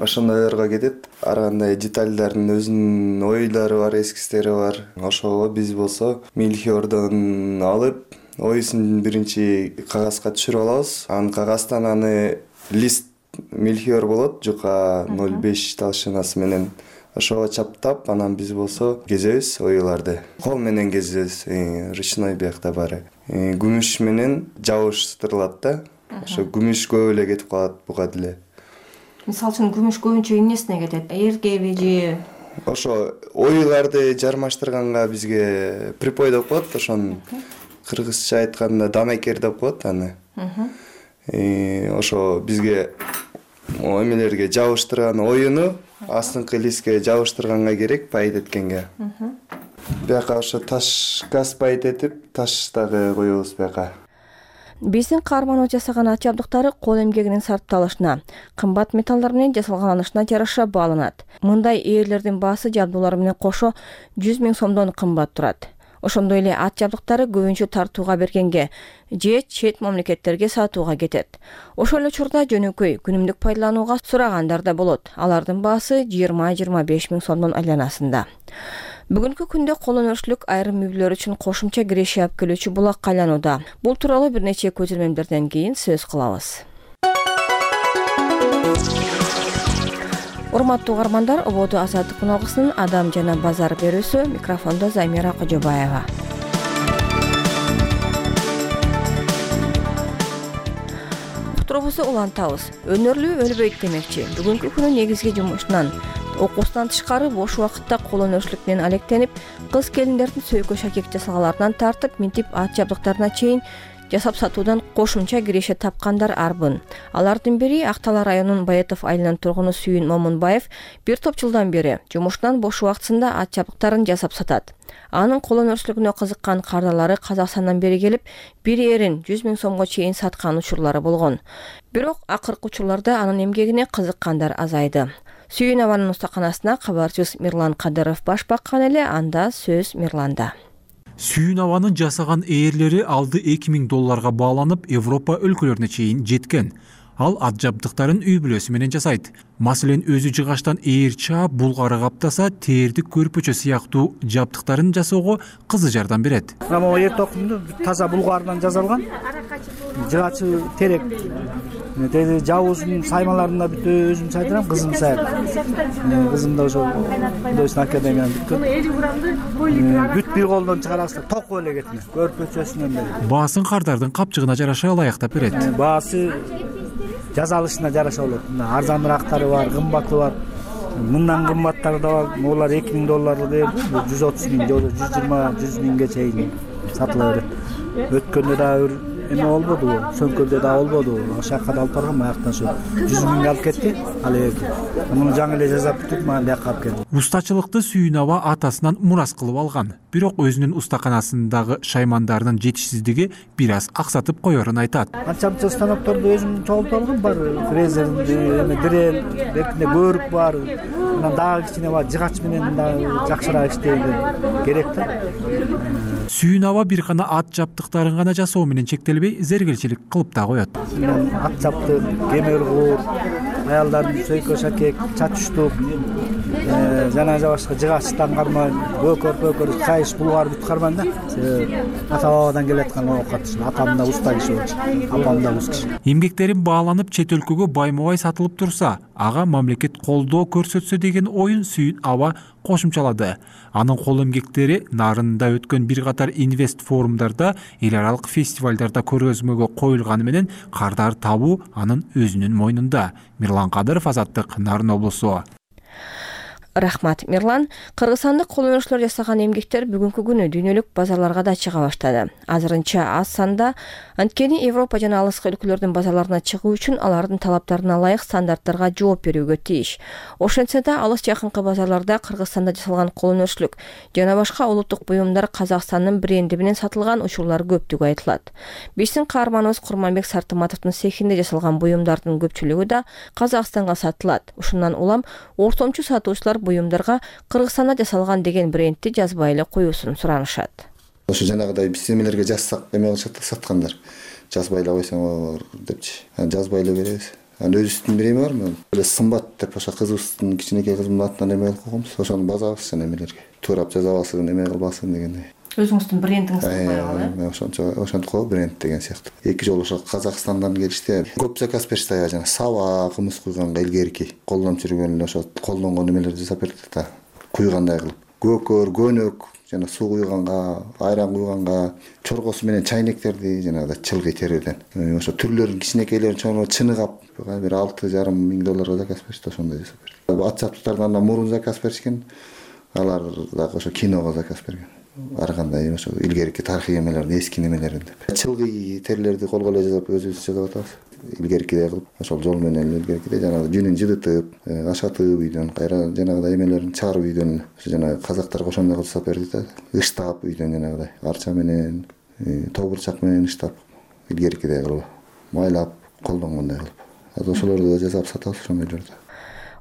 ошондойлорго кетет. Ар кандай детальдардын өзүнүн ойлору бар, эскиздери бар. Ошого биз болсо мельхиордон алып, оюсун биринчи кагазга түшүрүп алабыз. Анан кагаздан аны лист мельхиор болот, жука 0,5 талшынасы менен ошого чаптап, анан биз болсо кезебиз оюларды. Кол менен кезебиз, ручной биякта баары. Күмүш менен жабыштырылат да. Ошо күмүш көп эле кетип калат буга деле. Мисалы үчүн күмүш көбүнчө эмнесине кетет? Эргеби же? Ошо оюларды жармаштырганга бизге припой деп коет, ошон кыргызча айтканда дамекер деп коет аны. Ошо бизге эмелерге жабыштырган оюну астыңкы листке жабыштырганга керек, пайт эткенге. Бияка ошо таш газ пайт этип, таш дагы коебуз бияка. Биздин каарманыбыз жасаган ат жабдыктары кол эмгегинин сарпталышына, кымбат металлдар менен жасалганышына жараша бааланат. Мындай ээрлердин баасы жабдуулар менен кошо 100 миң сомдон кымбат турат. Ошондой эле ат жабдыктары көбүнчө тартууга бергенге же чет мамлекеттерге сатууга кетет. Ошол эле учурда жөнөкөй күнүмдүк пайдаланууга сурагандар да болот. Алардын баасы 20-25 миң сомдон айланасында. Бүгүнкү күндө кол өнөрчүлүк айрым үйлөр үчүн кошумча киреше алып келүүчү булакка айланууда. Бул тууралуу бир нече көзөмөлдөрдөн кийин сөз кылабыз. Урматтуу угармандар, ободо азаттык уналгысынын Адам жана базар берүүсү, микрофондо Замира Кожобаева. Уктуруубузду улантабыз. Өнөрлүү өлбөйт демекчи. Бүгүнкү күнү негизги жумушунан, окуусунан тышкары бош убакытта кол өнөрчүлүк менен алектенип, кыз келиндердин сөйкө шакек жасалгаларынан тартып, минтип ат жабдыктарына чейин жасап сатуудан кошумча киреше тапкандар арбын. Алардын бири Ак Талаа районунун Баятов айылынын тургуну Сүйүн Момунбаев бир топ жылдан бери жумуштан бош убактысында ат жабдыктарын жасап сатат. Анын кол өнөрчүлүгүнө кызыккан кардалары Казакстандан бери келип, бир эрин 100 миң сомго чейин саткан учурлары болгон. Бирок акыркы учурларда анын эмгегине кызыккандар азайды. Сүйүн абанын устаканасына кабарчыбыз Мирлан Кадыров баш баккан эле, анда сөз Мирланда. Сүйүн абанын жасаган ээрлери алды $2000 бааланып, Европа өлкөлөрүнө чейин жеткен. Ал ат жабдыктарын үй бүлөсү менен жасайт. Маселен, өзү жыгаштан ээр чаап, булгары каптаса, терди көрпөчө сыяктуу жабдыктарын жасоого кызы жардам берет. Эр токумду таза булгардан жасалган. жыгачы терек. Теги жабуусунун саймаларында бүт өзүм сайдырам, кызым саят. Кызым да ошо художественный академияны бүткөн. Бүт бир колдон чыгарасыздар, току эле кетме. Көрпөчөсүнөн бери. Баасын кардардын капчыгына жараша ылайыктап берет. Баасы жазалышына жараша болот. Арзаныраактары бар, кымбаты бар. Мындан кымбаттары да бар. Олар $2000 берди, 130 000, 120 000 чейин сатыла берет. Өткөндө да эме болбоду, сөмкөлдө да болбоду. Ошакка да алып баргам, аяктан ошо 100 000 алып кетти. Ал эки. Муну жаңы эле жасап бүттүк, мага бияка алып келди. Устачылыкты Сүйүнова атасынан мурас кылып алган. Бирок өзүнүн устаканасындагы шаймандарынын жетишсиздиги бир аз аксатып коерун айтат. Анча станокторду өзүм чогултуп алгам, бар фрезер, эме дрель, бертинде көрүк бар. Анан дагы кичине бар, жыгач менен дагы жакшыраак иштеген керек да. Сүйүнова бир гана ат жабдыктарын гана жасоо менен чектелбей, зергелчилик кылып да коет. Ат жабдык, кемер куур, аялдардын сөйкө шакек, чачуштук, жана башка жыгачтан кармай, көкөр, кайыш, булгар бүт кармайм да. Ата-бабадан келаткан оокат. Атам да уста киши болчу, апам да уста киши. Эмгектерин бааланып чет өлкөгө байма-бай сатылып турса, ага мамлекет колдоо көрсөтсө деген оюн Сүйүнова кошумчалады. Анын кол эмгектери нарында өткөн бир катар инвест форумдарда, эл аралык фестивалдарда көргөзмөгө коюлганы менен кардар табуу анын өзүнүн мойнунда. Мирлан Кадыров, Азаттык, Нарын облусу. Рахмат, Мирлан. Кыргызстандык кол өнөрчүлөр жасаган эмгектер бүгүнкү күнү дүйнөлүк базарларга да чыга баштады. Азырынча аз санда, анткени Европа жана алыскы өлкөлөрдүн базарларына чыгуу үчүн алардын талаптарына ылайык стандарттарга жооп берүүгө тийиш. Ошентсе да, алыс жакынкы базарларда Кыргызстанда жасалган кол өнөрчүлүк жана башка улуттук буюмдар Казакстандын бренди менен сатылган учурлар көптүгү айтылат. Биздин каарманыбыз Курманбек Сартыматовдун цехинде жасалган буюмдардын көпчүлүгү да Казакстанга сатылат. Ушундан улам ортомчу сатуучулар буюмдарга Кыргызстанда жасалган деген брендти жазбай эле коюусун суранышат. Ошо жанагыдай биз эмелерге жазсак эме кылышат да саткандар. Жазбай эле койсоңор депчи. Жазбай эле беребиз. Өзүбүздүн бир эме бармы? Эле сымбат деп ошо кызыбыздын кичинекей кызымдын атынан эме кылып койгонбуз. Ошону базабыз жана эмелерге. Туурап жаза албасын, эме кылбасын дегендей. Өзүңүздүн брендиңизди коюп, ошентип коюп бренд деген сыяктуу. Эки жолу ошо Казакстандан келишти. Көп заказ беришти, жана саба, кымыз куйганга илгерки колдонуп жүргөн эле ошо колдонгон эмелерди жасап берди да. Куйгандай кылып. Көкөр, көнөк, жана суу куйганга, айран куйганга, чоргосу менен чайнектерди жанагыдай чылгый териден. Ошо түрлөрүн кичинекейлерин чоңо чыныгап, бир $6,5 заказ беришти, ошондой жасап берди. Ат жабдыктардан да мурун заказ беришкен. Алар дагы ошо киного заказ берген. Ар кандай ошо илгерки тарыхый эмелерди, эски немелерин деп. Чылгый терилерди колго эле жасап өзүбүз жасап атабыз. Илгеркидей кылып, ошол жол менен илгеркидей жанагы жүнүн жыдытып, ашатып үйдөн, кайра жанагыдай эмелерин чыгарып үйдөн, ошо жанагы казактар ошондой кылып жасап берди да. Ыштап үйдөн жанагыдай арча менен, тобурчак менен ыштап, илгеркидей кылып, майлап, колдонгондой кылып. Ошолорду жасап сатабыз ошондойлорду.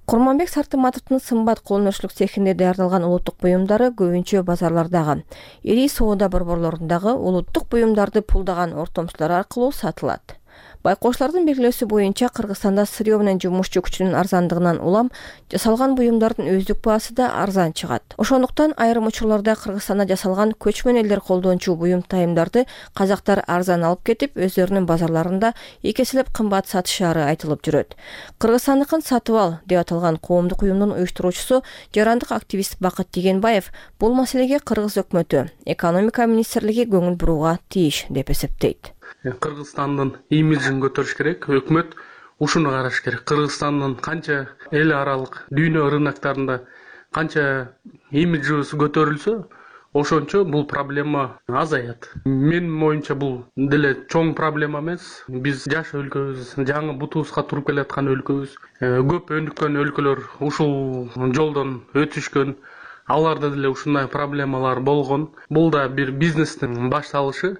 Курманбек Сартыматовдун сымбат кол өнөрчүлүк цехинде даярдалган улуттук буюмдары көбүнчө базарлардагы, ири соода борборлорундагы улуттук буюмдарды пулдаган ортомчулар аркылуу сатылат. Байкоочулардын белгилөөсү боюнча Кыргызстанда сырьё менен жумушчу күчүнүн арзандыгынан улам жасалган буюмдардын өздүк баасы да арзан чыгат. Ошондуктан айрым учурларда Кыргызстанда жасалган көчмөн элдер колдончу буюм тайымдарды казактар арзан алып кетип, өздөрүнүн базарларында эки эселеп кымбат сатышары айтылып жүрөт. Кыргызстандыкын сатып ал деп аталган коомдук уюмдун уюштуруучусу жарандык активист Бакыт Дегенбаев бул маселеге кыргыз өкмөтү, экономика министрлиги көңүл бурууга тийиш деп эсептейт. Кыргызстандын имиджин көтөрүш керек, өкмөт ушуну караш керек. Кыргызстандын канча эл аралык дүйнө рыноктарында канча имиджибиз көтөрүлсө, ошончо бул проблема азаят. Менин оюмча бул деле чоң проблема эмес. Биз жаш өлкөбүз, жаңы бутубузга туруп келаткан өлкөбүз. Көп өнүккөн өлкөлөр ушул жолдон өтүшкөн. Аларда деле ушундай проблемалар болгон. Бул да бир бизнестин башталышы.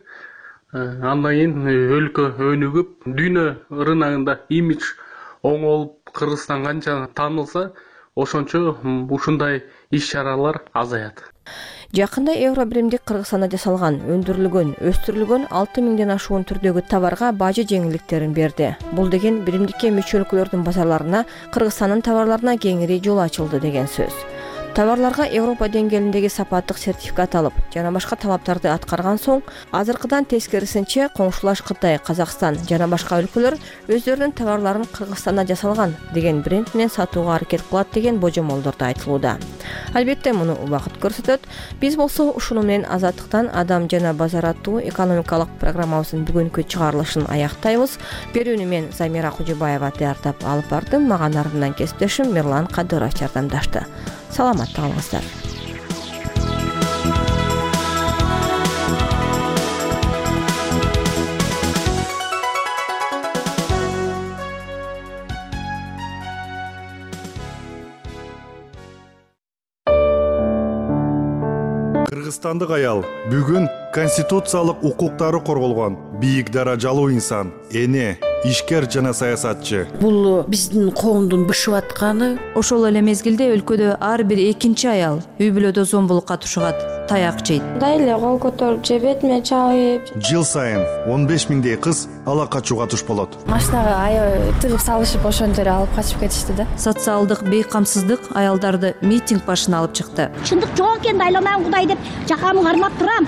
Андан кийин өлкө өнүгүп, дүйнө рыногунда имидж оңолуп, Кыргызстан канча таанылса, ошончо ушундай иш-чаралар азаят. Жакында евро биримдик Кыргызстанда жасалган, өндүрүлгөн, өстүрүлгөн 6000ден ашуун түрдөгү товарга бажы жеңилдиктерин берди. Бул деген биримдикке мүчө өлкөлөрдүн базарларына Кыргызстандын товарларына кеңири жол ачылды деген сөз. Товарларга Европа деңгээлиндеги сапаттык сертификат алып жана башка талаптарды аткарган соң, азыркыдан тескерисинче коңшулаш Кытай, Казакстан жана башка өлкөлөр өздөрүнүн товарларын Кыргызстанда жасалган деген бренд менен сатууга аракет кылат деген божомолдорду айтылууда. Албетте муну убакыт көрсөтөт. Биз болсо ушуну менен Азаттыктан адам жана базар аттуу экономикалык программабыздын бүгүнкү чыгарылышын аяктайбыз. Берүүнү мен Замира Кужубаева даярдап алып бардым. Мага ардынан кесиптешим Мирлан Кадыров жардамдашты. Саламатта калыңыздар. Кыргызстандык аял бүгүн конституциялык укуктары корголгон бийик даражалуу инсан, эне, ишкер жана саясатчы. Бул биздин коомдун бышып атканы. Ошол эле мезгилде өлкөдө ар бир экинчи аял үй бүлөдө зомбулукка тушугат, таяк жейт. Дайле кол көтөрүп же бетиме чабып. Жыл сайын 15 миңдей кыз ала качууга туш болот. Машинага аябай тыгып салышып ошентип алып качып кетишти да. Социалдык бейкамсыздык аялдарды митинг башына алып чыкты. Чындык жок экен, айланам Кудай деп жакамы кармап турам.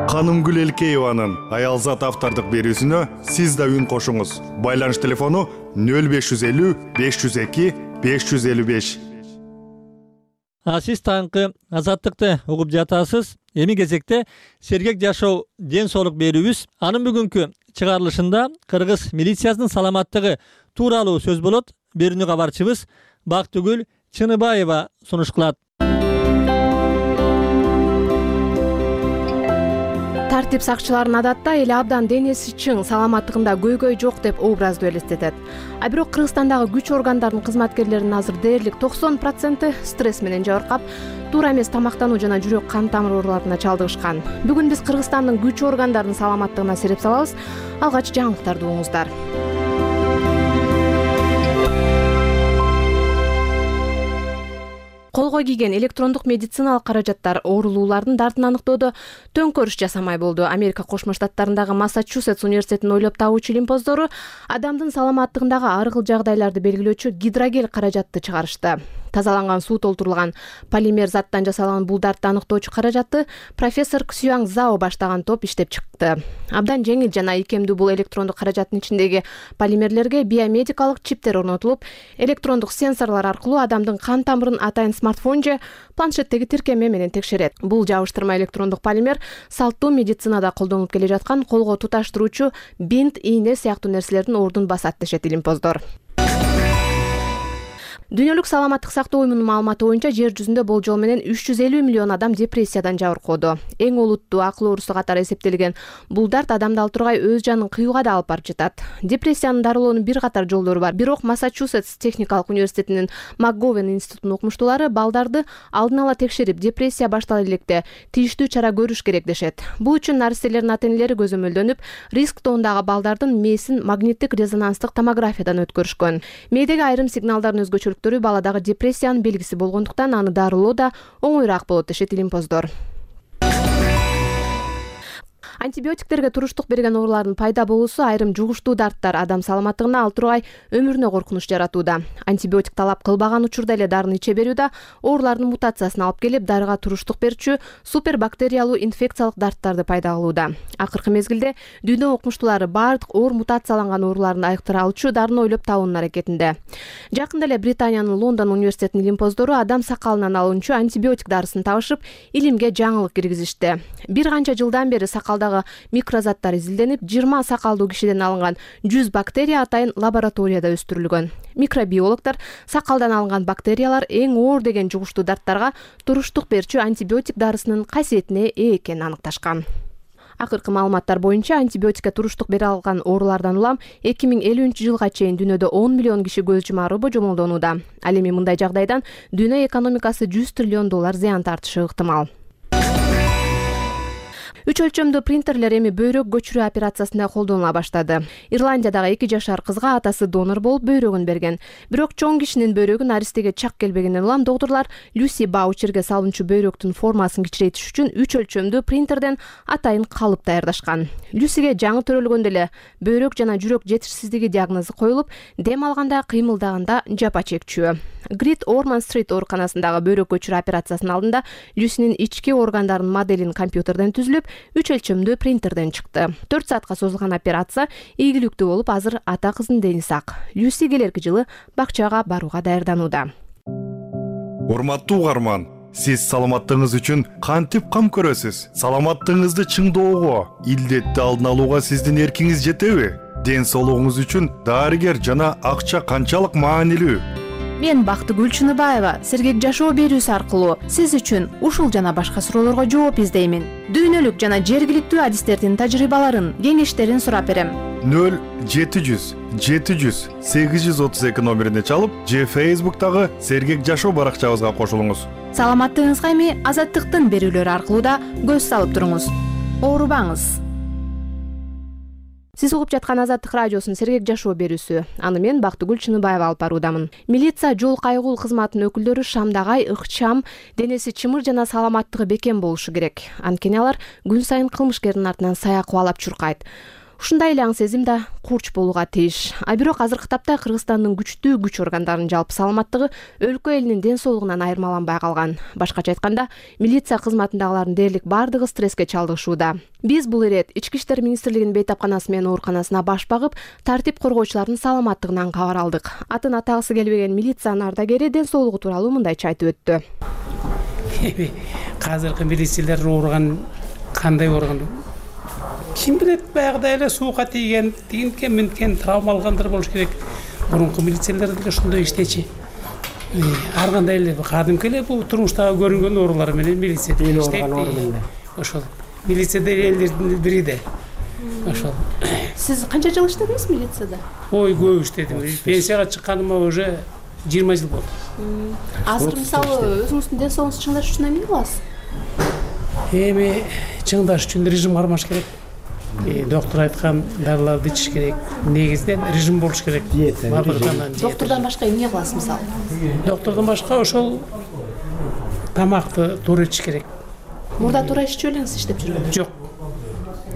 Канымгүл Элкееванын аялзат автордук берүүсүнө сиз да үн кошуңуз. Байланыш телефону 0550 502 555. Сиз таңкы Азаттыкты угуп жатасыз. Эми кезекте сергек жашоо ден соолук берүүбүз. Анын бүгүнкү чыгарылышында кыргыз милициясынын саламаттыгы тууралуу сөз болот. Берүүнү кабарчыбыз Бактыгүл Чыныбаева сунуш кылат. Тартип сакчыларынын адатта эли абдан денеси чың, саламаттыгында көйгөй жок деп образды элестетет. А бирок Кыргызстандагы күч органдарынын кызматкерлеринин азыр дээрлик 90% стресс менен жабыркап, туура эмес тамактануу жана жүрөк кан тамыр ооруларына чалдыгышкан. Бүгүн биз Кыргызстандын күч органдарынын саламаттыгына сереп салабыз. Алгач жаңылыктарды угуңуздар. Колго кийген электрондук медициналык каражаттар оорулуулардын дартын аныктоодо төңкөрүш жасамай болду. Америка Кошмо Штаттарындагы Массачусетс университетинин ойлоп табуучу илимпоздору адамдын саламаттыгындагы ар кыл жагдайларды белгилөөчү гидрогел каражатты чыгарышты. Тазаланган суу толтурулган полимер заттан жасалган бул дартты аныктоочу каражатты профессор Ксюанг Зао баштаган топ иштеп чыкты. Абдан жеңил жана ийкемдүү бул электрондук каражаттын ичиндеги полимерлерге биомедикалык чиптер орнотулуп, электрондук сенсорлор аркылуу адамдын кан тамырын атайын смартфон же планшеттеги тиркеме менен текшерет. Бул жабыштырма электрондук полимер салттуу медицинада колдонулуп келе жаткан колго туташтыруучу бинт, ийне сыяктуу нерселердин ордун басат дешет илимпоздор. Дүйнөлүк саламаттык сактоо уюмунун маалыматы боюнча жер жүзүндө болжол менен 350 миллион адам депрессиядан жабыркоодо. Эң олуттуу акыл оорусу катары эсептелген бул дарт адамды ал тургай өз жанын кыюуга да алып барып жатат. Депрессияны дарылоонун бир катар жолдору бар. Бирок Массачусетс техникалык университетинин МакГовен институтунун окумуштуулары балдарды алдын ала текшерип, депрессия баштала электе тийиштүү чара көрүш керек дешет. Бул үчүн наристелердин ата-энелери көзөмөлдөнүп, риск тоондагы балдардын мээсин магниттик резонанстык томографиядан өткөрүшкөн. Мээдеги айрым сигналдардын өзгөчөлүктөрү баладагы депрессиянын белгиси болгондуктан аны дарылоо да оңоюраак болот дешет илимпоздор. Антибиотиктерге туруштук берген оорулардын пайда болуусу айрым жугуштуу дарттар адам саламаттыгына ал тургай өмүрүнө коркунуч жаратууда. Антибиотик талап кылбаган учурда эле дарыны иче берүү да оорулардын мутациясына алып келип, дарыга туруштук берчү супербактериялуу инфекциялык дарттарды пайда кылууда. Акыркы мезгилде дүйнө окумуштуулары бардык оор мутацияланган ооруларды айыктыра алчу дарыны ойлоп табуунун аракетинде. Жакында эле Британиянын Лондон университетинин илимпоздору адам сакалынан алынчу антибиотик дарысын табышып, илимге жаңылык киргизишти. Бир канча жылдан бери сакалдагы микрозаттар изилденип, 20 сакалдуу кишиден алынган 100 бактерия атайын лабораторияда өстүрүлгөн. Микробиологдор сакалдан алынган бактериялар эң оор деген жугуштуу дарттарга туруштук берчү антибиотик дарысынын касиетине ээ экенин аныкташкан. Акыркы маалыматтар боюнча антибиотикке туруштук бере алган оорулардан улам 2050-жылга чейин дүйнөдө 10 миллион киши көз жумары божомолдонууда. Ал эми мындай жагдайдан дүйнө экономикасы $100 триллион зыян тартышы ыктымал. 3 өлчөмдүү принтерлер эми бөйрөк көчүрүү операциясында колдонула баштады. Ирландиядагы 2 жашар кызга атасы донор болуп бөйрөгүн берген. Бирок чоң кишинин бөйрөгү наристеге чак келбегенден улам доктурлар Люси Баучерге салынчу бөйрөктүн формасын кичирейтиш үчүн 3 өлчөмдүү принтерден атайын калып даярдашкан. Люсиге жаңы төрөлгөндө эле бөйрөк жана жүрөк жетишсиздиги диагнозу коюлуп, дем алганда, кыймылдаганда жапа чекчү. Грит Орман Стрит ооруканасындагы бөйрөк көчүрүү операциясынын алдында Люсинин ички органдарынын моделин компьютерден түзүлүп, 3 өлчөмдүү принтерден чыкты. 4 саатка созулган операция ийгиликтүү болуп, азыр ата кыздын дени сак. Люси келерки жылы бакчага барууга даярданууда. Урматтуу угарман, сиз саламаттыгыңыз үчүн кантип кам көрөсүз? Саламаттыгыңызды чыңдоого, илдетти алдын алууга сиздин эркиңиз жетеби? Ден соолугуңуз үчүн дарыгер жана акча канчалык маанилүү? Мен Бактыгүл Чыныбаева сергек жашоо берүүсү аркылуу сиз үчүн ушул жана башка суроолорго жооп издеймин. Дүйнөлүк жана жергиликтүү адистердин тажрыйбаларын, кеңештерин сурап берем. 0700 700 832 номерине чалып, же Facebook'тагы сергек жашоо баракчабызга кошулуңуз. Саламаттыгыңызга эми Азаттыктын берүүлөрү аркылуу да көз салып туруңуз. Оорубаңыз. Сиз угуп жаткан Азаттык радиосунун сергек жашоо берүүсү. Аны мен Бактыгүл Чыныбаева алып баруудамын. Милиция жол кайгыл кызматынын өкүлдөрү шамдагай, ыкчам, денеси чымыр жана саламаттыгы бекем болушу керек. Анткени алар күн сайын кылмышкердин артынан сая кубалап чуркайт. Ушундай эле аң сезим да курч болууга тийиш. А бирок азыркы тапта Кыргызстандын күчтүү күч органдарынын жалпы саламаттыгы өлкө элинин ден соолугунан айырмаланбай калган. Башкача айтканда, милиция кызматындагылардын дээрлик бардыгы стресске чалдыгышууда. Биз бул ирет Ички иштер министрлигинин бейтапканасы менен ооруканасына баш багып, тартип коргоочулардын саламаттыгынан кабар алдык. Атын атагысы келбеген милициянын ардагери ден соолугу тууралуу мындайча айтып өттү. Азыркы милициялар ооруган кандай ооруган? Ким билет, баягыдай эле суукка тийген, тигинткен, минткен, травма алгандар болуш керек. Мурунку милициялар деле ошондой иштечи. Ар кандай эле кадимки эле бул турмуштагы көрүнгөн оорулар менен милиция иштейт. Ошол. Милицияда элдердин бири да. Ошол. Сиз канча жыл иштедиңиз милицияда? Ой, көп иштедим. Пенсияга чыкканыма уже 20 жыл болду. Азыр мисалы өзүңүздүн ден соолугуңузду чыңдаш үчүн эмне кыласыз? Эми чыңдаш үчүн режим кармаш керек. Доктор айткан дарыларды ичиш керек. Негизинен режим болуш керек. Доктордон башка эмне кыласыз мисалы? Доктордон башка ошол тамакты туура ичиш керек. Мурда туура иччү элеңиз иштеп жүргөндө? Жок.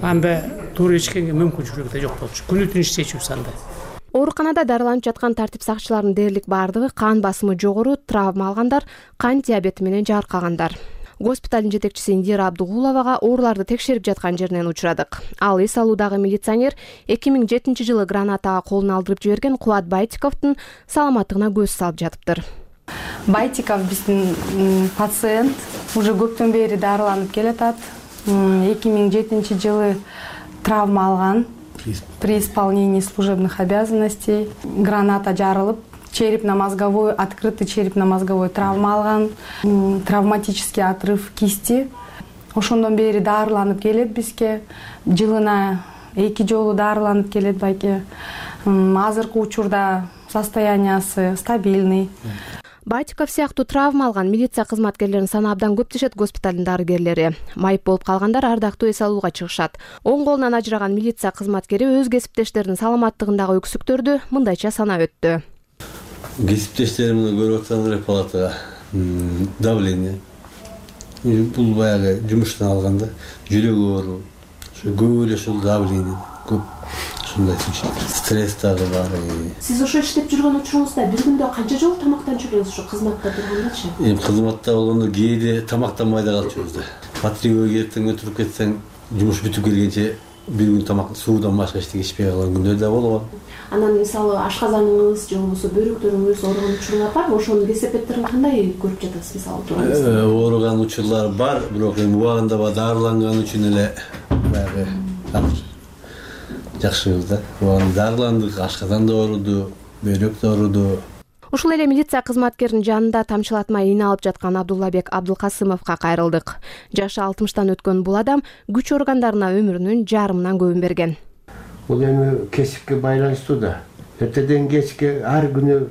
Анда туура ичкенге мүмкүнчүлүгү да жок болчу. Күнү түн иштечүбүз анда. Ооруканада дарыланып жаткан тартип сакчыларынын дээрлик бардыгы кан басымы жогору, травма алгандар, кан диабети менен жааркагандар. Госпиталдын жетекчиси Индира Абдугуловага ооруларды текшерип жаткан жеринен учурадык. Ал эс алуудагы милиционер 2007-жылы гранатага колун алдырып жиберген Кубат Байтиковдун саламаттыгына көз салып жатыптыр. Байтиков биздин пациент уже көптөн бери дарыланып келатат. 2007-жылы травма алган при исполнении служебных обязанностей. Граната жарылып, черепно-мозговой, открытый черепно-мозговой травма алган, травматический отрыв кисти. Ошондон бери дарыланып келет бизге. Жылына 2 жолу дарыланып келет байке. Азыркы учурда состояниясы стабильный. Байтиков сыяктуу травма алган милиция кызматкерлеринин саны абдан көп дешет госпиталдын дарыгерлери. Майып болуп калгандар ардактуу эс алууга чыгышат. Оң колунан ажыраган милиция кызматкери өз кесиптештеринин саламаттыгындагы өксүктөрдү мындайча санап өттү. Кесиптештеримди көрүп атсаңдар палатага давление. Бул баягы жумуштан алганда жүрөк оору, көп эле ушул давление көп. Стресс дагы бар. Сиз ошо иштеп жүргөн учуруңузда бир күндө канча жолу тамактанып жүрөсүз ошо кызматта тургандачы? Кызматта болгондо кээде тамактанбай да калып жүрүбүз да. Патрульга эртең өтүрүп кетсең, жумуш бүтүп келгенче бир күн тамак суудан башка эчтеке ичпей калган күндөр да болгон. Анан мисалы ашказаныңыз же болбосо бөйрөктөрүңүз ооруган учуруңар барбы? Ошонун кесепеттерин кандай көрүп жатасыз мисалы? Ооруган учурлар бар, бирок эми убагында дарыланган үчүн эле баягы жакшыбыз да. Дарыландык, ашказан да ооруду, бөйрөк да ооруду. Ушул эле милиция кызматкеринин жанында тамчылатмай ийне алып жаткан Абдуллабек Абдулкасымовго кайрылдык. Жашы 60-тан өткөн бул адам күч органдарына өмүрүнүн жарымынан көбүн берген. Бул эми кесипке байланыштуу да. Эртеден кечке ар күнү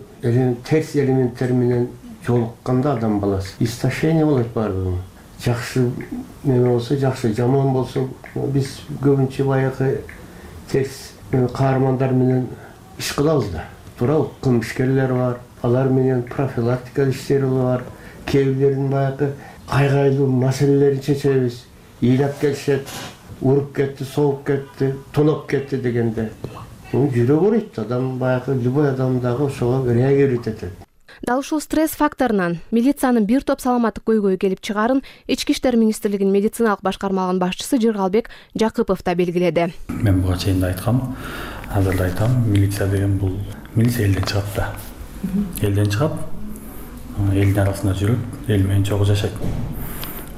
терс элементтер менен жолукканда адам баласы истощение болот баардыгы. жакшы неме болсо жакшы, жаман болсо биз көбүнчө баягы терс каармандар менен иш кылабыз да. Туурабы? Кылмышкерлер бар, алар менен профилактика иштери бар. Кээ бирлерин баягы кайгайлуу маселелерин чечебиз. Ыйлап келишет, уруп кетти, соғып кетти, тоноп кетти дегенде. Жүрөк ооруйт, адам баягы любой адам дагы ошого реагировать этет. Дал ушул стресс факторунан милициянын бир топ саламаттык көйгөй келип чыгарын Ички иштер министрлигинин медициналык башкармалыгынын башчысы Жыргалбек Жакыпов да белгиледи. Мен буга чейин да айткам, азыр да айтам, милиция деген бул милиция элден чыгат да. Элден чыгат, элдин арасында жүрөт, эл менен чогуу жашайт.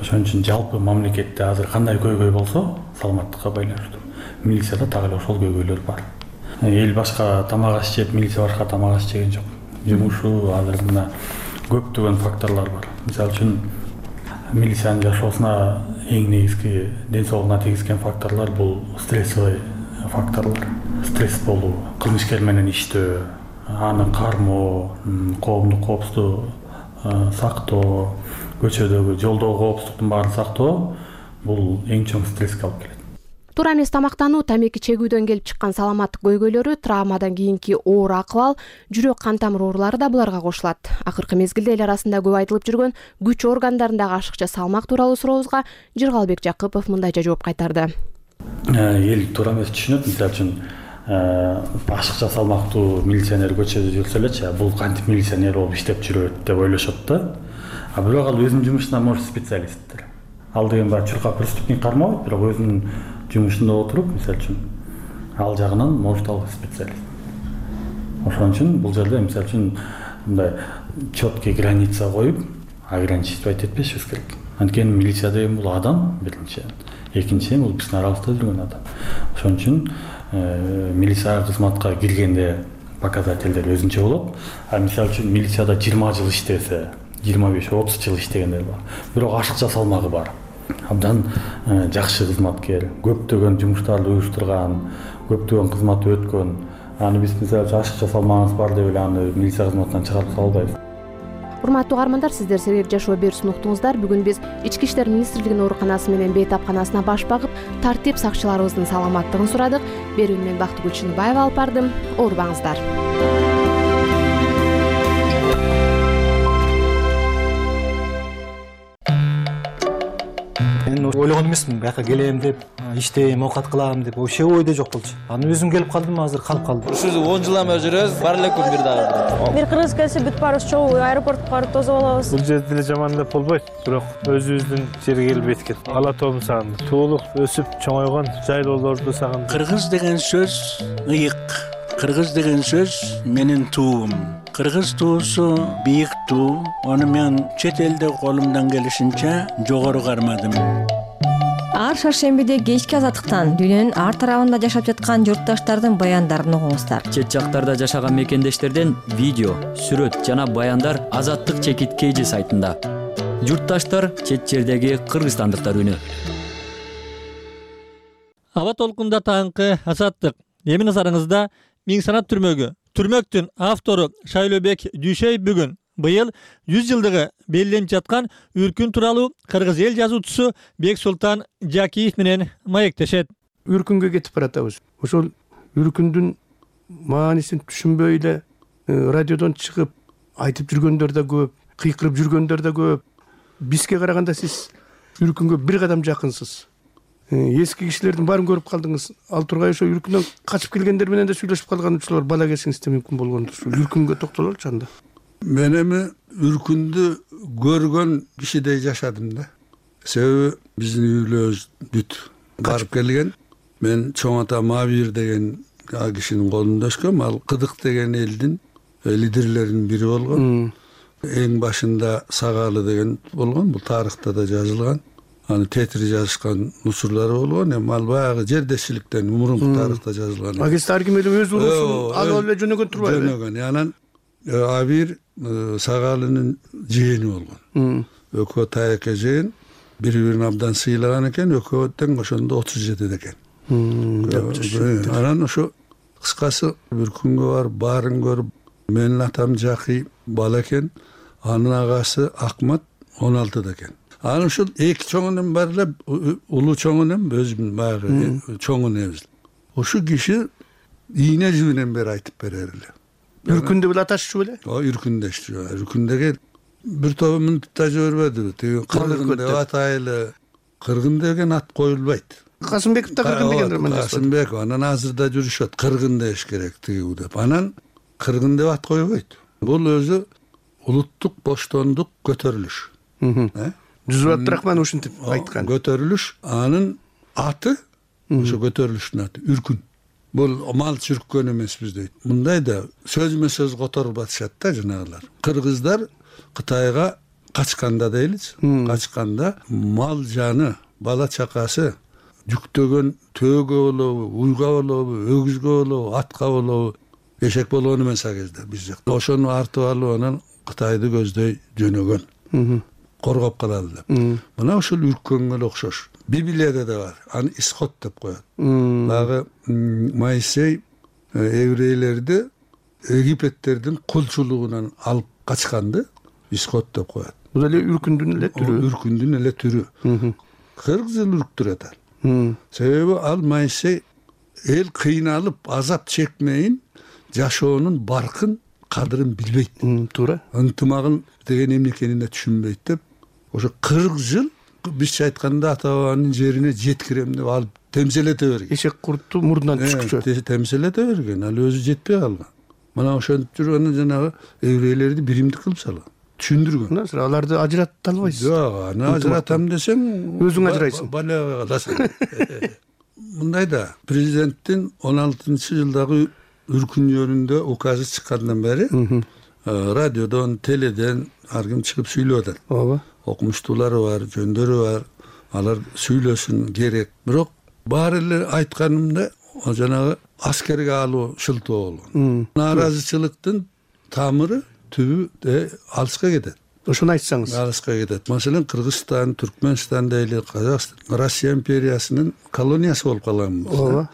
Ошон үчүн жалпы мамлекетте азыр кандай көйгөй болсо, саламаттыкка байланыштуу. Милицияда так эле ошол көйгөйлөр бар. Эл башка тамак аш жеп, милиция башка тамак аш жеген жок. Жумушу азыр мына көптөгөн факторлор бар. Мисалы үчүн милициянын жашоосуна эң негизги ден соолугуна тийгизген факторлор бул стрессовый факторлор. Стресс болуу, кылмышкер менен иштөө, аны кармоо, коомдук коопсуздукту сактоо, көчөдөгү жолдогу коопсуздуктун баарын сактоо бул эң чоң стресске алып келет. Туура эмес тамактануу, тамеки чегүүдөн келип чыккан саламаттык көйгөйлөрү, травмадан кийинки оор акыбал, жүрөк кан тамыр оорулары да буларга кошулат. Акыркы мезгилде эл арасында көп айтылып жүргөн күч органдарындагы ашыкча салмак тууралуу сурообузга Жыргалбек Жакыпов мындайча жооп кайтарды. Эл туура эмес түшүнөт, мисалы үчүн ашыкча салмактуу милиционер көчөдө жүрсө элечи, бул кантип милиционер болуп иштеп жүрөт деп ойлошот да. А бирок ал өзүнүн жумушуна может специалисттер. Ал деген баягы чуркап преступник кармабайт, бирок өзүнүн жумушунда отуруп, мисалы үчүн ал жагынан может ал специалист. Ошон үчүн бул жерде мисалы үчүн мындай четкий граница коюп, ограничивать этпешибиз керек. Анткени милиция деген бул адам биринчи, экинчиден бул биздин арабызда жүргөн адам. Ошон үчүн милиция кызматка киргенде показательдер өзүнчө болот. А мисалы үчүн милицияда 20 жыл иштесе, 25-30 жыл иштегендер бар. Бирок ашыкча салмагы бар. Абдан жакшы кызматкер, көптөгөн жумуштарды уюштурган, көптөгөн кызматты өткөн. Аны биз мисалы ашыкча салмагыбыз бар деп эле аны милиция кызматынан чыгарып сала албайбыз. Урматтуу угармандар, сиздер Сергек жашоо берүүсүн уктуңуздар. Бүгүн биз Ички иштер министрлигинин ооруканасы менен бейтапканасына баш багып, тартип сакчыларыбыздын саламаттыгын сурадык. Берүүнү мен Бактыгүл Чыныбаева алып бардым. Оорубаңыздар. Мен ойлогон эмесмин, бияка келем деп, иштейм, оокат кылам деп, вообще ойдо жок болчу. Аны өзүм келип калдым, азыр калып калдым. Ушул 10 жылдан бери жүрөбүз, бар эле күн бир дагы. Бир кыргыз келсе бүт баарыбыз чогуу аэропортко барып тосуп алабыз. Бул жерде эле жаман деп болбойт, бирок өзүбүздүн жерге келбейт экен. Ала тоомду сагындым. Туулуп, өсүп, чоңойгон жайлоолорду сагындым. Кыргыз деген сөз ыйык. Кыргыз деген сөз менин туум. Кыргыз туусу бийик туу. Аны мен чет элде колумдан келишинче жогору кармадым. Ар шаршембиде кечки азаттыктан дүйнөнүн ар тарабында жашап жаткан журтташтардын баяндарын угуңуздар. Чет жактарда жашаган мекендештерден видео, сүрөт жана баяндар Азаттык чекит KG сайтында. Журтташтар чет жердеги кыргызстандыктар үнү. Аба толкунда таңкы Азаттык. Эми назарыңызда Миң санат түрмөгү. Түрмөктүн автору Шайлообек Дүйшөев бүгүн быйыл 100 жылдыгы белгиленип жаткан Үркүн тууралуу кыргыз эл жазуучусу Бексултан Жакиев менен маектешет. Үркүнгө кетип баратабыз. Ошол Үркүндүн маанисин түшүнбөй эле радиодон чыгып айтып жүргөндөр да көп, кыйкырып жүргөндөр да көп. Бизге караганда сиз Үркүнгө бир кадам жакынсыз. Эски кишилердин баарын көрүп калдыңыз. Ал тургай ошо Үркүндөн качып келгендер менен да сүйлөшүп калган учурлар бала кезиңизде мүмкүн болгондур. Үркүнгө токтололчу анда. Мен эми Үркүндү көргөн кишидей жашадым да. Себеби биздин үйлөрүбүз бүт барып келген. Мен чоң атам Абир деген кишинин колунда өскөм. Ал Кыдык деген элдин лидерлеринин бири болгон. Эң башында Сагалы деген болгон. Бул тарыхта да жазылган. Аны тетир жазышкан учурлары болгон. Эми ал баягы жердешчиликтен мурунку тарыхта жазылган. Агест Аргимедов өз урусун алып эле жөнөгөн турбайбы? Жөнөгөн. Анан Абир Сагалынын жээни болгон. Экөө таяка жээн, бири-бирин абдан сыйлаган экен, экөө тең ошондо 37 экен. Анан ошо кыскасы Үркүнгө барып, баарын көрүп, менин атам Жакый бала экен, анын агасы Акмат 16 экен. Анан ушул эки чоң энем бар эле, улуу чоң энем өзүм баягы чоң энебиз. Ошол киши ийне жибинен бери айтып берер эле. Үркүндө беле аташчу беле? Үркүндөчү. Үркүндөгө бир тобу мынтип да жибербеди. Тиги кыргын деп атайлы. Кыргын деген ат коюлбайт. Касымбеков да кыргын дегендер мен. Касымбеков анан азыр да жүрүшөт. Кыргын деш керек тиги деп. Анан кыргын деп ат койбойт. Бул өзү улуттук боштондук көтөрүлүш. Жүзүп Абдрахман ушинтип айткан. Көтөрүлүш, анын аты ошо көтөрүлүштүн аты Үркүн. Бул мал чүрккөн эмеспиз дейт. Мындай да сөзмө сөз которуп атышат да жанагылар. Кыргыздар Кытайга качканда дейличи, качканда мал жаны, бала чакасы жүктөгөн төөгө болобу, уйга болобу, өгүзгө болобу, атка болобу, эшек болгон эмес а кезде биз жакта. Ошону артып алып анан Кытайды көздөй жөнөгөн. Коргоп калалы деп. Мына ушул үрккөнгө эле окшош. Библияда да бар. Аны исход деп коет. Дагы Моисей еврейлерди Египеттердин кулчулугунан алып качканды исход деп коет. Бул эле үркүндүн эле түрү. Үркүндүн эле түрү. 40 жыл үрктүрөт ал. Себеби ал Моисей эл кыйналып азап чекмейин жашоонун баркын кадырын билбейт. Туура. Ынтымагын деген эмне экенин түшүнбөйт деп, ошо 40 жыл бизче айтканда ата бабанын жерине жеткирем деп алып темселете берген. Эшек куртту мурдунан түшкүчү. Темселете берген. Ал өзү жетпей калган. Мына ошентип жүргөндө жанагы еврейлерди биримдик кылып салган. Түшүндүргөн. Аларды ажырата албайсыз. Жок, аны ажыратам десең, өзүң ажырайсың. Балага каласың. Мындай да президенттин 16-жылдагы үркүн жөнүндө указы чыккандан бери радиодон, теледен ар ким чыгып сүйлөп атат. Ооба. Окумуштуулары бар, жөндөрү бар. Алар сүйлөсүн керек. Бирок баары эле айтканымда жанагы аскерге алуу шылтоо болгон. Нааразычылыктын тамыры түбү алыска кетет. Ошону айтсаңыз. Алыска кетет. Маселен, Кыргызстан, Түркмөнстан дейли, Казакстан, Россия империясынын колониясы болуп калган. Ооба.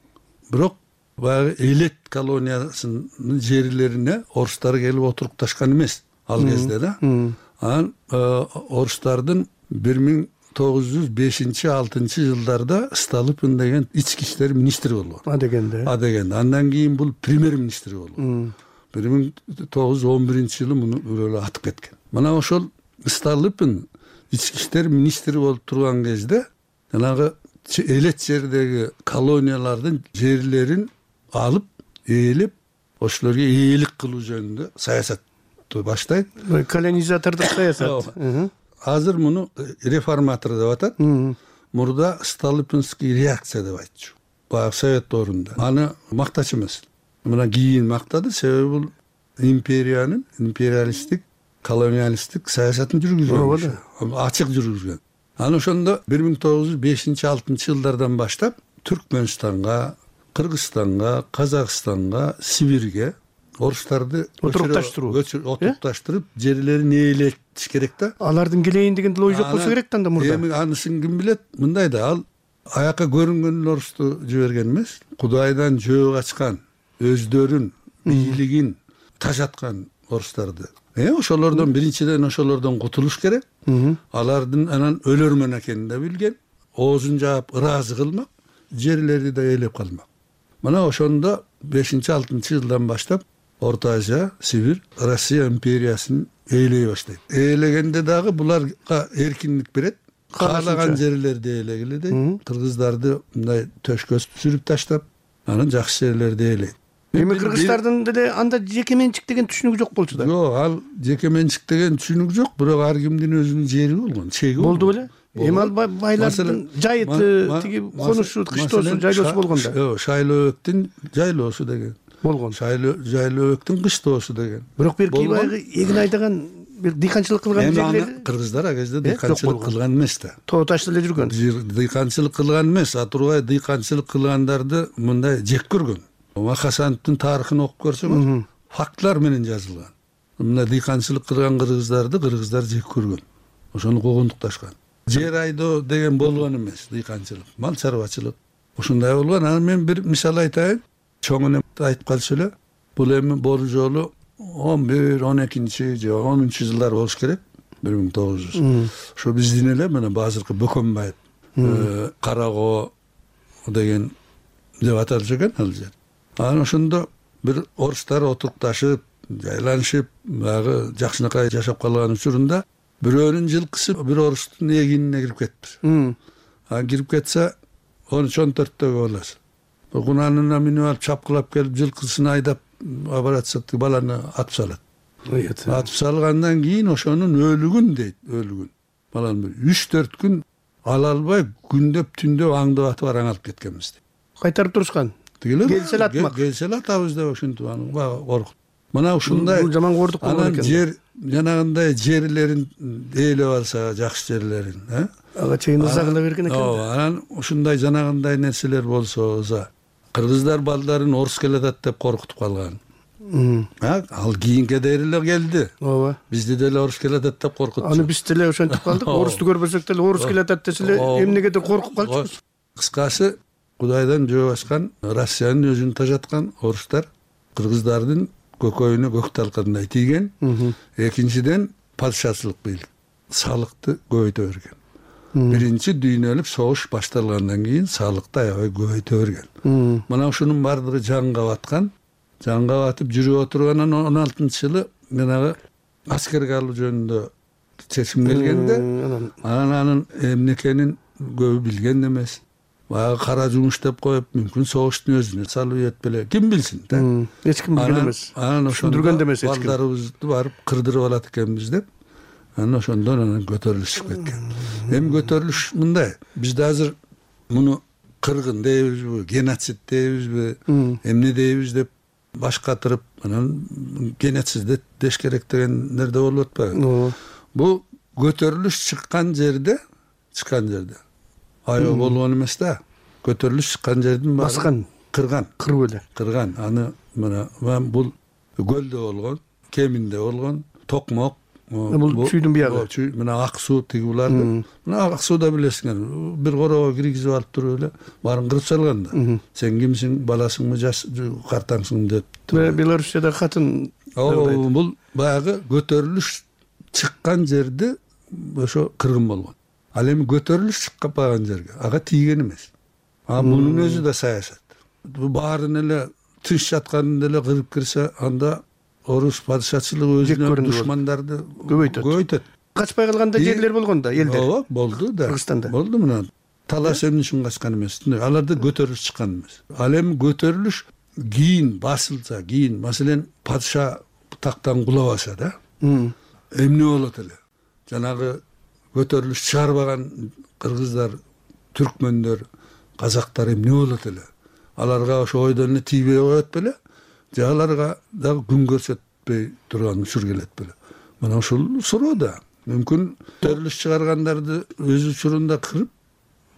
Бирок баягы элет колониясынын жерлерине орустар келип отурукташкан эмес ал кезде да. Анан орустардын 1905-6 жылдарда Столыпин деген ички иштер министри болгон. А дегенде. Андан кийин бул премьер-министр болгон. 1911 жылы муну өлө атып кеткен. Мына ошол Столыпин ички иштер министри болуп турган кезде жанагы элет жердеги колониялардын жерлерин алып, ээлеп, ошолорго ээлик кылуу жөнүндө саясатты баштайт. Колонизатордук саясат. Азыр муну реформатор деп атат. Мурда Столыпинский реакция деп айтчу. Баягы совет орунда. Аны мактачу эмес. Мына кийин мактады, себеби бул империянын империалисттик, колониалисттик саясатын жүргүзгөн. Ачык жүргүзгөн. Аны ошондо 1905-6 жылдардан баштап Түркмөнстанга, Кыргызстанга, Казакстанга, Сибирге орустарды отурукташтырып жерлерин ээлетиш керек да. Алардын келейин деген ой жок болсо керек да мурда. Эми анысын ким билет? Мындай да, ал аяка көрүнгөн орусту жиберген эмес. Кудайдан жөө качкан, өздөрүн, бийлигин тажаткан орустарды. Ошолордон биринчиден ошолордон кутулуш керек. Алардын анан өлөрмөн экенин да билген. Оозун жаап ыраазы кылмак, жерлерди да ээлеп калмак. Мына ошондо 5-6 жылдан баштап Орто Азия, Сибирь, Россия империясын ээлей баштайт. Ээлегенде дагы буларга эркиндик берет. Каалаган жерлерди ээлегиле дейт. Кыргыздарды мындай төшкө сүрүп таштап, анан жакшы жерлерди ээлейт. Эми кыргыздардын деле анда жеке менчик деген түшүнүк жок болчу да. Жок, ал жеке менчик деген түшүнүк жок, бирок ар кимдин өзүнүн жери болгон, чеги болду беле? Эми ал байлардын жайыты, тиги конушу, кыштоосу, жайлоосу болгон да. Шайлообектин жайлоосу деген болгон. Шайлообектин кыштоосу деген. Бирок бир кийбайгы эгин айдаган бир дыйканчылык кылган жерлер. Кыргыздар а кезде дыйканчылык кылган эмес да. Тоо ташта эле жүргөн. Дыйканчылык кылган эмес, а турбай дыйканчылык кылгандарды мындай жек көргөн. Хасановдун тарыхын окуп көрсөңүз, фактылар менен жазылган. Мына дыйканчылык кылган кыргыздар жек көргөн. Ошону куугунтукташкан. Жер айдоо деген болгон эмес, дыйканчылык, мал чарбачылык. Ушундай болгон. Анан мен бир мисал айтайын. Чоң энем айтып калчу эле. Бул эми бул жолу 11, 12 же 10 жылдар болуш керек. 1900. Ошо биздин эле мына азыркы Бөкөнбаев Карагоо деген деп аталып жүргөн ал жер. Анан ошондо бир орустар отурукташып, жайланышып, баягы жакшынакай жашап калган учурунда бирөөнүн жылкысы бир орустун эгинине кирип кетиптир. Кирип кетсе 13-14-төгө боласыз. Кунанына минип алып чапкылап келип жылкысын айдап обратса баланы атып салат. Атып салгандан кийин ошонун өлүгүн дейт, өлүгүн. Баланы 3-4 күн ала албай күндөп түндөп аңдып атып араңалып кеткенбиз. Кайтарып турушкан. Келсе атмак. Келсе атабыз деп ошентип аны коркут. Мына ушундай жаман кордук болгон экен. Жер жанагындай жерлерин ээлеп алса, жакшы жерлерин, ага чейин ызагыла берген экен. Анан ушундай жанагындай нерселер болсо, кыргыздар балдарын орус келатат деп коркутуп калган. Ал кийинке деле келди. Ооба. Бизди деле орус келатат деп коркутуп. Аны биз деле ошентип калдык. Орусту көрбөсөк деле орус келатат деселе эмнегедир коркуп калчубуз. Кыскасы, Кудайдан жөө башкан, Россиянын өзүн тажаткан орустар кыргыздардын көкөйүнө көк талкандай тийген. Экинчиден падышачылык бийлик, салыкты көбөйтө берген. Биринчи дүйнөлүк согуш башталгандан кийин салыкты аябай көбөйтө берген. Мына ушунун бардыгы жанга баткан. Жанга батып жүрүп отургандан 16-жылы менагы аскерге алуу жөнүндө чечим келгенде, анын эмне экенин көбү билген эмес. Баягы кара жумуш деп коюп, мүмкүн согуштун өзүнө салып этпеле, ким билсин да. Эч ким билген эмес. Анан ошондурган эмес эч ким. Балдарыбызды барып кырдырып алат экенбиз деп, анан ошондон анан көтөрүлүш чыгып кеткен. Эми көтөрүлүш мындай. Бизде азыр муну кыргын дейбизби, геноцид дейбизби, эмне дейбиз деп баш катырып, анан геноцид деш керек дегендерде болуп атпайбы? Бул көтөрүлүш чыккан жерде аябай болгон эмес да. Көтөрүлүш чыккан жердин баскан, кырган, кырып эле. Кырган. Аны мына бул көлдө болгон, Кеминде болгон, Токмок. Бул чүйдүн биягы. Мына ак суу тиги буларды. Мына ак сууда билесиңер, бир корого киргизип алып туруп эле баарын кырып салган да. Сен кимсиң, баласыңбы, картаңсың деп. Белоруссияда катын. Бул баягы көтөрүлүш чыккан жерде ошо кыргын болгон. Ал эми көтөрүлүш чыкпаган жерге ага тийген эмес. Мунун өзү да саясат. Баарын эле тынч жатканын эле кырып кирсе, анда орус падышачылыгы өзүнүн душмандарды көбөйтөт. Качпай калганда жерлер болгон да, элдер. Ооба, болду да. Кыргызстанда. Болду мына. Талаш эмне үчүн качкан эмес. Аларды көтөрүлүш чыккан эмес. Ал эми көтөрүлүш кийин басылса, кийин, маселен, падыша тактан кулабаса да. Эмне болот эле? Жанагы көтөрүлүш чыгарбаган кыргыздар, түркмөндөр, казактар эмне болот эле? Аларга ошо ойдон эле тийбей коет беле? Же аларга дагы күн көрсөтпөй турган учур келет беле? Мына ушул суроо да. Мүмкүн көтөрүлүш чыгаргандарды өз учурунда кырып,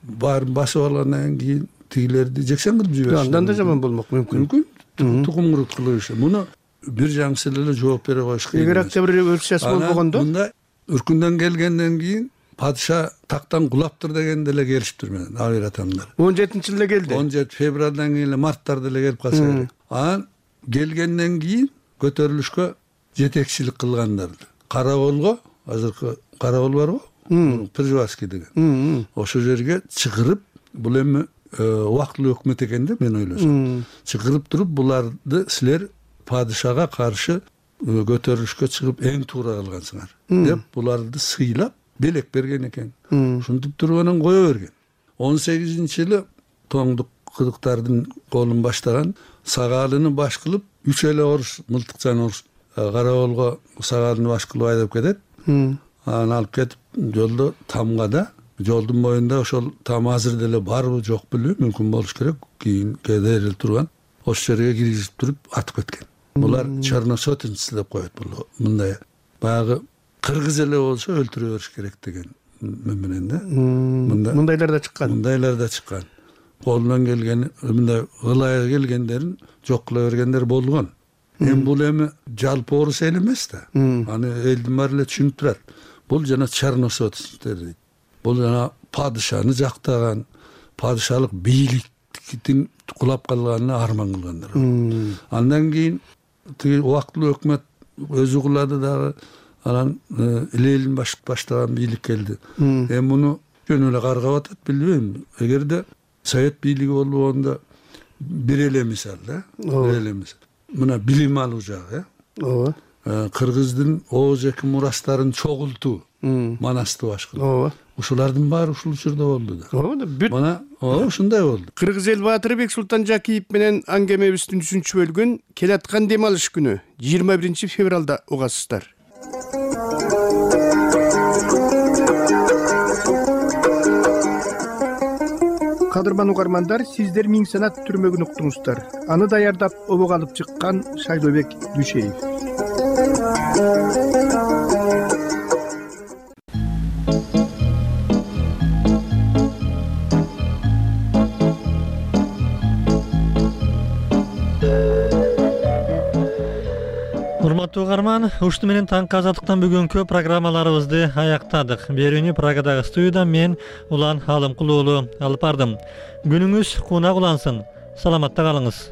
баарын басып алгандан кийин тигилерди жексен кылып жиберишет. Андан да жаман болмок мүмкүн. Тукум курут кылышы. Муну бир жаңсы эле жооп бере коюш керек. Эгер октябрь революциясы болбогондо, мында үркүндөн келгенден кийин падыша тактан кулаптыр дегенде эле келишиптир менен абир атамдар. 17-жылда келди. 17 февралдан кийин эле марттарда эле келип калса керек. Анан келгенден кийин көтөрүлүшкө жетекчилик кылгандарды. Караболго, азыркы Карабол барбы? Пржевальский деген. Ошо жерге чыгырып, бул эми убактылуу өкмөт экен да, мен ойлосом. Чыгырып туруп, буларды силер падышага каршы көтөрүлүшкө чыгып эң туура кылгансыңар деп буларды сыйлап белек берген экен. Ушинтип туруп анан кое берген. 18-жылы тоңдук кыдыктардын колун баштаган Сагалыны баш кылып 3 эле орус, мылтыкчан орус Караболго Сагалыны баш кылып айдап кетет. Анан алып кетип жолдо Тамгада, жолдун боюнда ошол там азыр деле барбы жок билбейм, мүмкүн болуш керек, кийин кедерил турган ошол жерге киргизип туруп атып кеткен. Булар черносотенцы деп коет бул. Мындай баягы кыргыз эле болсо өлтүрө бериш керек деген менен да. Мындайлар да чыккан. Мындайлар да чыккан. Колунан келген, мындай ылайга келгендерин жок кыла бергендер болгон. Эми бул эми жалпы орус эл эмес да. Аны элдин баары эле түшүнүп турат. Бул жана черносотенцтер дейт. Бул жана падышаны жактаган, падышалык бийликтин кулап калганына арман кылгандар. Андан кийин тиги убактылуу өкмөт өзү кулады дагы, анан Ленин баштаган бийлик келди. Эми муну жөн эле каргап атат билбейм. Эгерде совет бийлиги болгондо бир эле мисал да. Бир эле мисал. Мына билим алуу жагы, ооба. Кыргыздын ооз-эки мурастарын чогултуу, манасты башкылоо. Ушулардын баары ушул учурда болду да. Мына ушундай болду. Кыргыз эл баатыры Бексултан Жакиев менен аңгемебиздин 3-чү бөлүгүн келаткан дем алыш күнү 21 февралда угасыздар. Кадырман угармандар, сиздер Миң санат түрмөгүн уктуңуздар. Аны даярдап обого алып чыккан Шайлообек Дүйшеев. Урматтуу угарман, ушуну менен таңкы азаттыктан бүгүнкү программаларыбызды аяктадык. Берүүнү Прагадагы студиядан мен Улан Алымкул уулу алып бардым. Күнүңүз кунак улансын. Саламатта калыңыз.